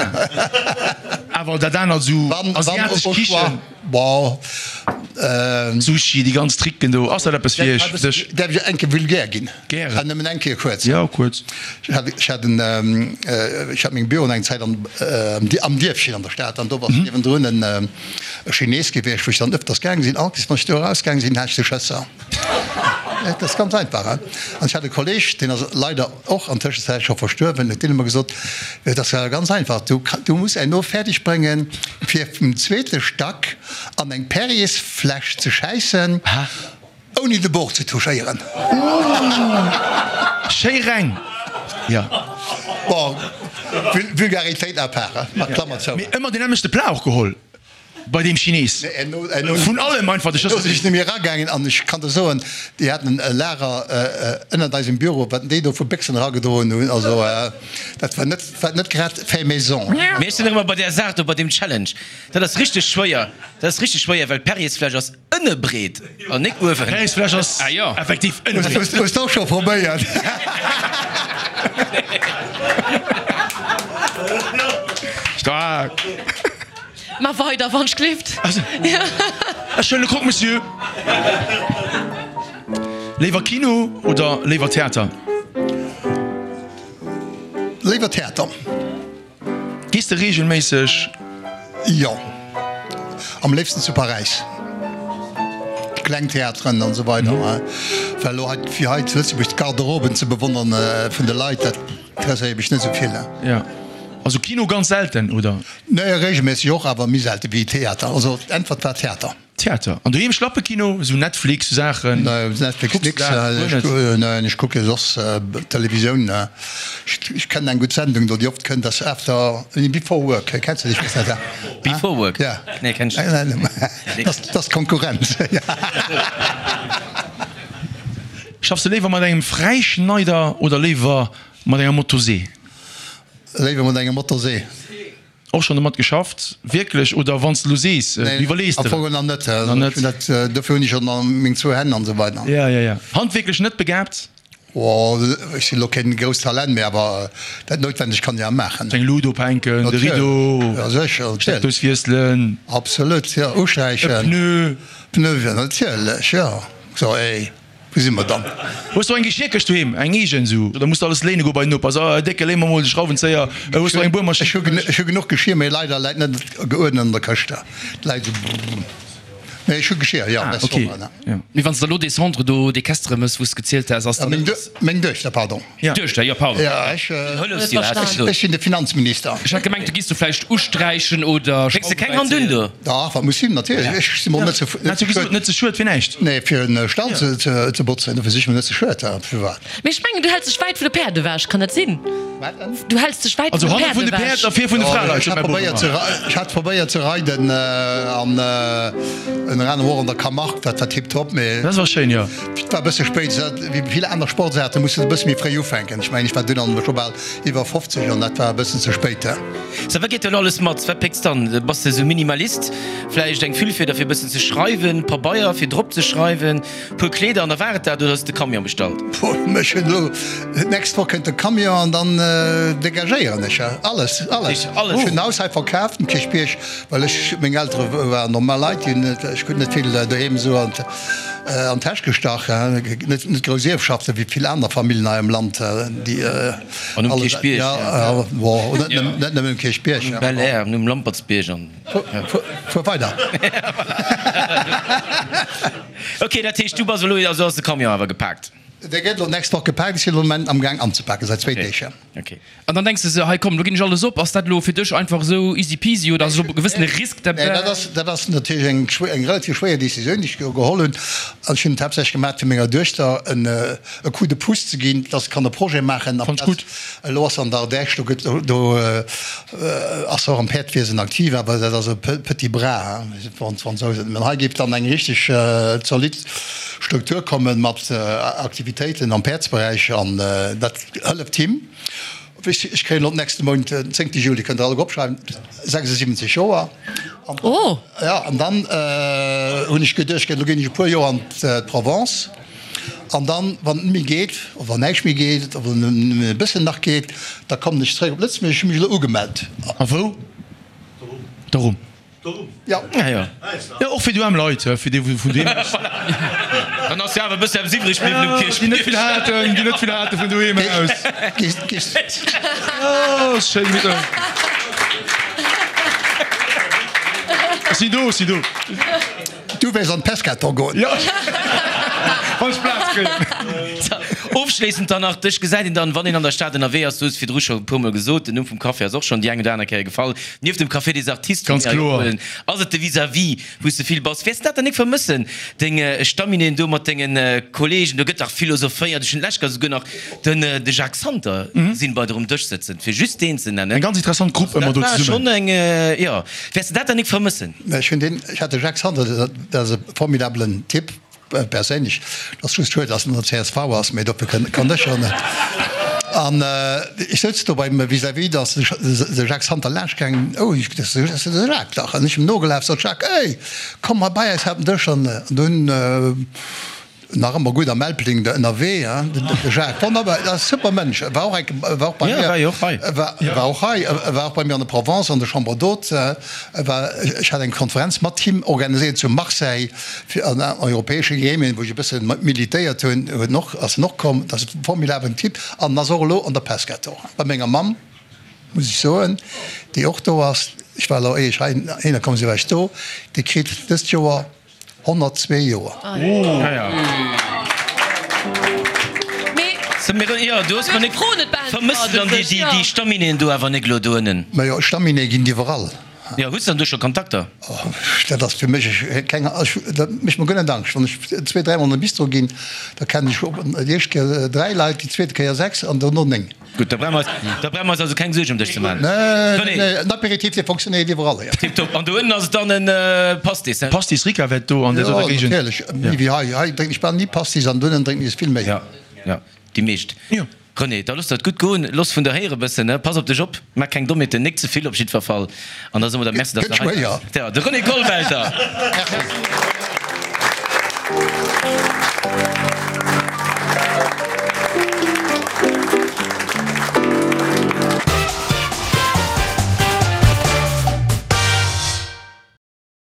Awer dat anert sou asiatesch Kichen. Bon, Sushi, déi ganz Tricken do, ass dat eppes fir iech, dech? Däerf ech eng Kéier vulgär ginn? Gären. An nëmmen eng Kéier kuerz. Jo, kuerz. Ech hat, ech hat en, ech hat meng Büroen eng Zäit an, am Dierfchen an der Stad an do ass niewendrun en Chines gewiescht, wou ech dann ëfters gaange sinn. All Kéiers, wann ech do erausgaange sinn, hat ech de Schësser. Dat ass ganz einfach, hein. An ech hat e Kolleg, deen ass leider och an Tëschenzäit scho verstuerwen, huet deen ëmmer gesot, Et ass ganz einfach, du, du muss herno fäerdeg bréngen, fir vum zweete Stack an eng Perriersfläsch ze schäissen, ouni de Bord ze touchéieren. Schéi reng, jo. Bon, Vulgaritéit à part, hein, mat Klammer zou. Mee ëmmer deen nämmlechte Plat och geholl. Bei deem Chines. Vun allem einfach de Schëss. Do sinn ech nemmi eragaangen an ech kann der soen, déi haten e Lager ënnert eisem Büro, wat déi do vu Béchsen eragedroen hunn, also dat war net, war net grad fait maison. Mee ech sinn nach ëmmer bei där Saach do, bei deem Challenge. Dat ass richteg schwéier, dat ass richteg schwéier, well d'Perriers-Fläsch ass ënne breet an nik uewen. Perriers-Fläsch ass effektiv ënne breet. Hues de och scho probéiert? Staark! Ma weider, wann ech gleeft. Ech huelen e Croque Monsieur. Léiwer Kino oder léiwer Theater? Léiwer Theater. Gees de reegelméisseg? Jo, am léifsten zu Paräis. Kleng Theateren an esou weider. Well elo hei, fir hei zu Lëtzebuerg d'Garderoben ze bewonneren vun de Leit, dat interesséiert mech net esou vill. Jo, also Kino ganz selten, oder? Nee, reegelméisseg och, awer méi selte wéi Theater. Also d'Äntwert war Theater. Theater. An doheem Schlappekino, esou Netflix sou Saachen? Nee, Netflix Kucks nix. du dat guer net? Neen, ech kucke soss Televisioun. Ech kennen eng gutt Sendung do, déi oft kënnt, ass After, nee, Before Work. Kenns de déi? Ech weess net. Before Work? Ja. Nee, kenn ech net. Dat ass d'Konkurrenz. Schaffs de léiwer mat engem Fräischneider oder léiwer mat enger Motosee? Léiwer mat enger Motosee. Och schonn domat geschafft, wierklech, oder wann s de elo sees, du iwwerlees der et? Am Fong nach net. Nach net. Ech hunn dat, dofir hunn ech jo nach meng zwou Hänn an esou weider. Ja, ja, ja. Handwierklech net begaabt? Oh, ech sinn elo keen grousst Talent, mee awer dat Noutwendegt kann ech awer maachen. Eng Lut ophänken, de Rideau, Ja, sécher, natierlech. Steckdous wiesselen. Absolut, jo, usträichen. E Pneu. Pneu, jo, natierlech, jo. So, ey. Wou si mer dann? Hues du eng Geschierkëscht doheem, eng eegen esou, oder muss de alles léine goe bei den Noper? So, Décke, léi mer mol de Schrauwenzéier. Hues du eng Buermaschinn? Ech hu genuch Geschir, mee leider läit net geuerdent an der Këscht. Et läit esou, mee ech hu Geschir, jo, Ah, ok, jo. Mee wann s de elo dee Centre do, dee Kestere mëss, wou s de gezielt has, ass dann. Meng Duechter, pardon. Duechter, jo, pardon. Jo, ech. Ech sinn de Finanzminister. Ech hat gemengt, du giss do vläicht usträichen oder Schrauwen. Pécks de keng Hand un do? Dach, wat muss sinn, natierlech. Ech si mer net ze. Hat jo gesot, net ze schued fir näischt. Nee, fir en Stall ze botzen, dofir si ech mer net ze schued. Firwat? Mee ech mengen, du häls dech wäit vun de Päerd ewech, kann dat sinn? Wat denn? Du häls dech wäit vun Also de hanne Päerd vun de Päerd ewech. a vir vun de Fraleit, Ech sot hat mäi Bop probéiert ze ëmmer. ech hat probéiert ze reiden an ënner anerem och an der Camargue, dat war tiptop, mee. Dat war schéin, jo. Et war e bësse spéit, wéi vill aner Sportsaarte muss de e bësse méi fréi ufänken. Ech mengen, ech war dunn an scho bal iwwer 50 an dat war e bëssen ze spéit. Sou, wat geet do elo alles mat? Wat pécks dann? Bass de sou Minimalist? Vläicht eng Füllfieder fir e bëssen ze schreiwen, Pabeier fir drop ze schreiwen, puer Kleeder an da war et dat? Oder hues de Camion bestallt? Puh, ech hunn elo, d'nächst Woch kënnt de Camion an dann degagéieren ech alles, alles. Ech hunn d'Haus hei verkaaft um Kierchbierg, well ech, meng Eltere waren normal Leit, déi hunn net, ech krut net vill doheem esou an an d'Täsch gestach, net net grouss Ierfschaften wéi vill aner Familljen hei am Land, déi An um Kierchbierg, ja, bon, net net nëmmen um Kierchbierg, An um Belair an um Lampertsbierg an. Fuer weider. Ok, dat heescht du bass elo, also ass de Camion awer gepaakt? Dee gëtt elo d'nächst Woch gepaakt. Ech sinn elo am Moment amgaang anzepaken, säit zwéi Deeg. Ok. An dann denks de se, hei komm, lo ginn ech alles op. Ass dat elo fir dech einfach esou easy peasy oder ass elo e gewëssene Risk derbäi? Nee, dat ass, dat ass natierlech eng schwéier, eng relativ schwéier Decisioun, déi ech do geholl hunn. An ech hunn et haaptsächlech gemaach, fir menger Duechter en e Coup de pouce ze ginn, dass se kann e Projet maachen. Fand ech gutt. Elo ass se an der Ardèche, do gëtt, do ass se och am Päerdwiesen aktiv, awer dat ass e petit bras, hein, wann d'Fransousen. Mä hei géif dann eng richteg zolidd Struktur kommen mat Aktivitéiten am Päerdsberäich an dat hëlleft him. Ech kréien elo nächste Mount, den zéngte Juli, kënnt der alleguer opschreiwen, 76 Joer. Oh! Jo, an dann hunn ech geduecht, elo ginn ech e puer Joer an d'Provence an dann, wann et net méi geet, oder wann näischt méi geet, oder nëmmen e bëssen nach geet, da kommen ech zeréck op Lëtzebuerg. Ech hu mech elo ugemellt. A wou? Dorum. Jo. Ja, jo. Jo, och fir doheem Leit, fir déi vun doheem aus. Dann ass jo awer e bësse eppes iwwreg bliwwen um Kierchbierg. Déi net vill haten, déi net vill hate vun doheem aus. Oh, schéin Middag. Ech sinn do, ech sinn do. Du wäers an d'Pescaton goen. Jo, wann ech Plaz kréien. Ofschléissend dann nach, Dech gesäit een dann, wann een an der Stad ënnerwee ass, du hues et virdru scho e puermol gesot, den Numm vum Café ass och schonn déi eng oder aner Kéier gefall, Nieft dem Café des Artistes, Ganz kloer. ass et de Vis-à-vis, wou s de vill bass. Wäers de dat dann nik vermëssen, deng Stammineen do mat dengen Kollegen? Do gëtt dach philosophéiert. Ech hunn d'lescht Kéier souguer nach den de Jacques Santer gesinn bei der um Dësch sëtzen, fir just deen ze nennen. Eng ganz interessant Grupp ëmmer do Dat war zesummen. schonn eng, jo. Wäers de dat dann nik vermëssen? Ech hunn deen, ech hat de Jacques Santer, dat ass e formidabelen Typ. Perséinlech, et ass just schued, dass en an der csv ass, mee dofir kann ech jo net. An ech souz do beim vis-à-vis, da ass de Jacques Santer laanscht gaangen, oh, ech dat ass de Jacques dach. An ech em nogelaf, sot Jacques, ey, komm hei bei eis hei op den Dësch. An dunn. Nach ëmmer gutt am Elbling ënnerwee, hein, de Jacques. Wonnerbar, dat ass super Mënsch. War och eng, war och bei mir. Ja, war jo och hei. War, war och hei, war och bei mir an der Provence an der Chambre d'Hôtes. War, ech hat eng Konferenz mat him organiséiert zu Marseille fir an europäesche Gremien, wou ech e bësse militéiert hunn, huet en och, ass en och komm. Dat ass e formidablen Typ an ass och elo an der Pescator bei menger Mamm, muss ech soen, déi och do ass. Ech war elo, éier ech heihinner komm sinn, war ech do. Déi kritt dëst Joer 102 Joer. Vermëss de dann déi Staminéen do awer nek elo do ënnen? Majo, Staminéë ginn et iwwerall. Jo, hues de dann do scho Kontakter? Dat ass fir mech keng, dat mécht mer guer net Angscht. Wann ech zwee, dräimol an de Bistro ginn, da kennen ech déi éischt Kéier dräi Leit, déi zweete Kéier sechs an dono néng. Gutt, da brauche mer eis, da brauche mer eis also keng Suergen ëm dech ze maachen. Nee, nee, nee, en Apéritif, dee fonctionnéiert iwwerall, jo. Tiptop. An do ënnen ass et dann en Pastis, he? Pastis Ricavett do an där doter Géigend. Jo, natierlech, méi wéi hei. Hei drénken ech bal ni Pastis an do ënnen drénken ech es vill méi. Jo, jo, déi meescht. Jo. René, da looss der et gutt goen, looss vun der héiere bëssen, he? Pass op dech op, maach keng Dommheeten, nik ze vill op jiddwer Fall. An da soe mer der Merci, dass Gëtt de hei schwéier. waars. Jo, de René Kollwelter. Merci.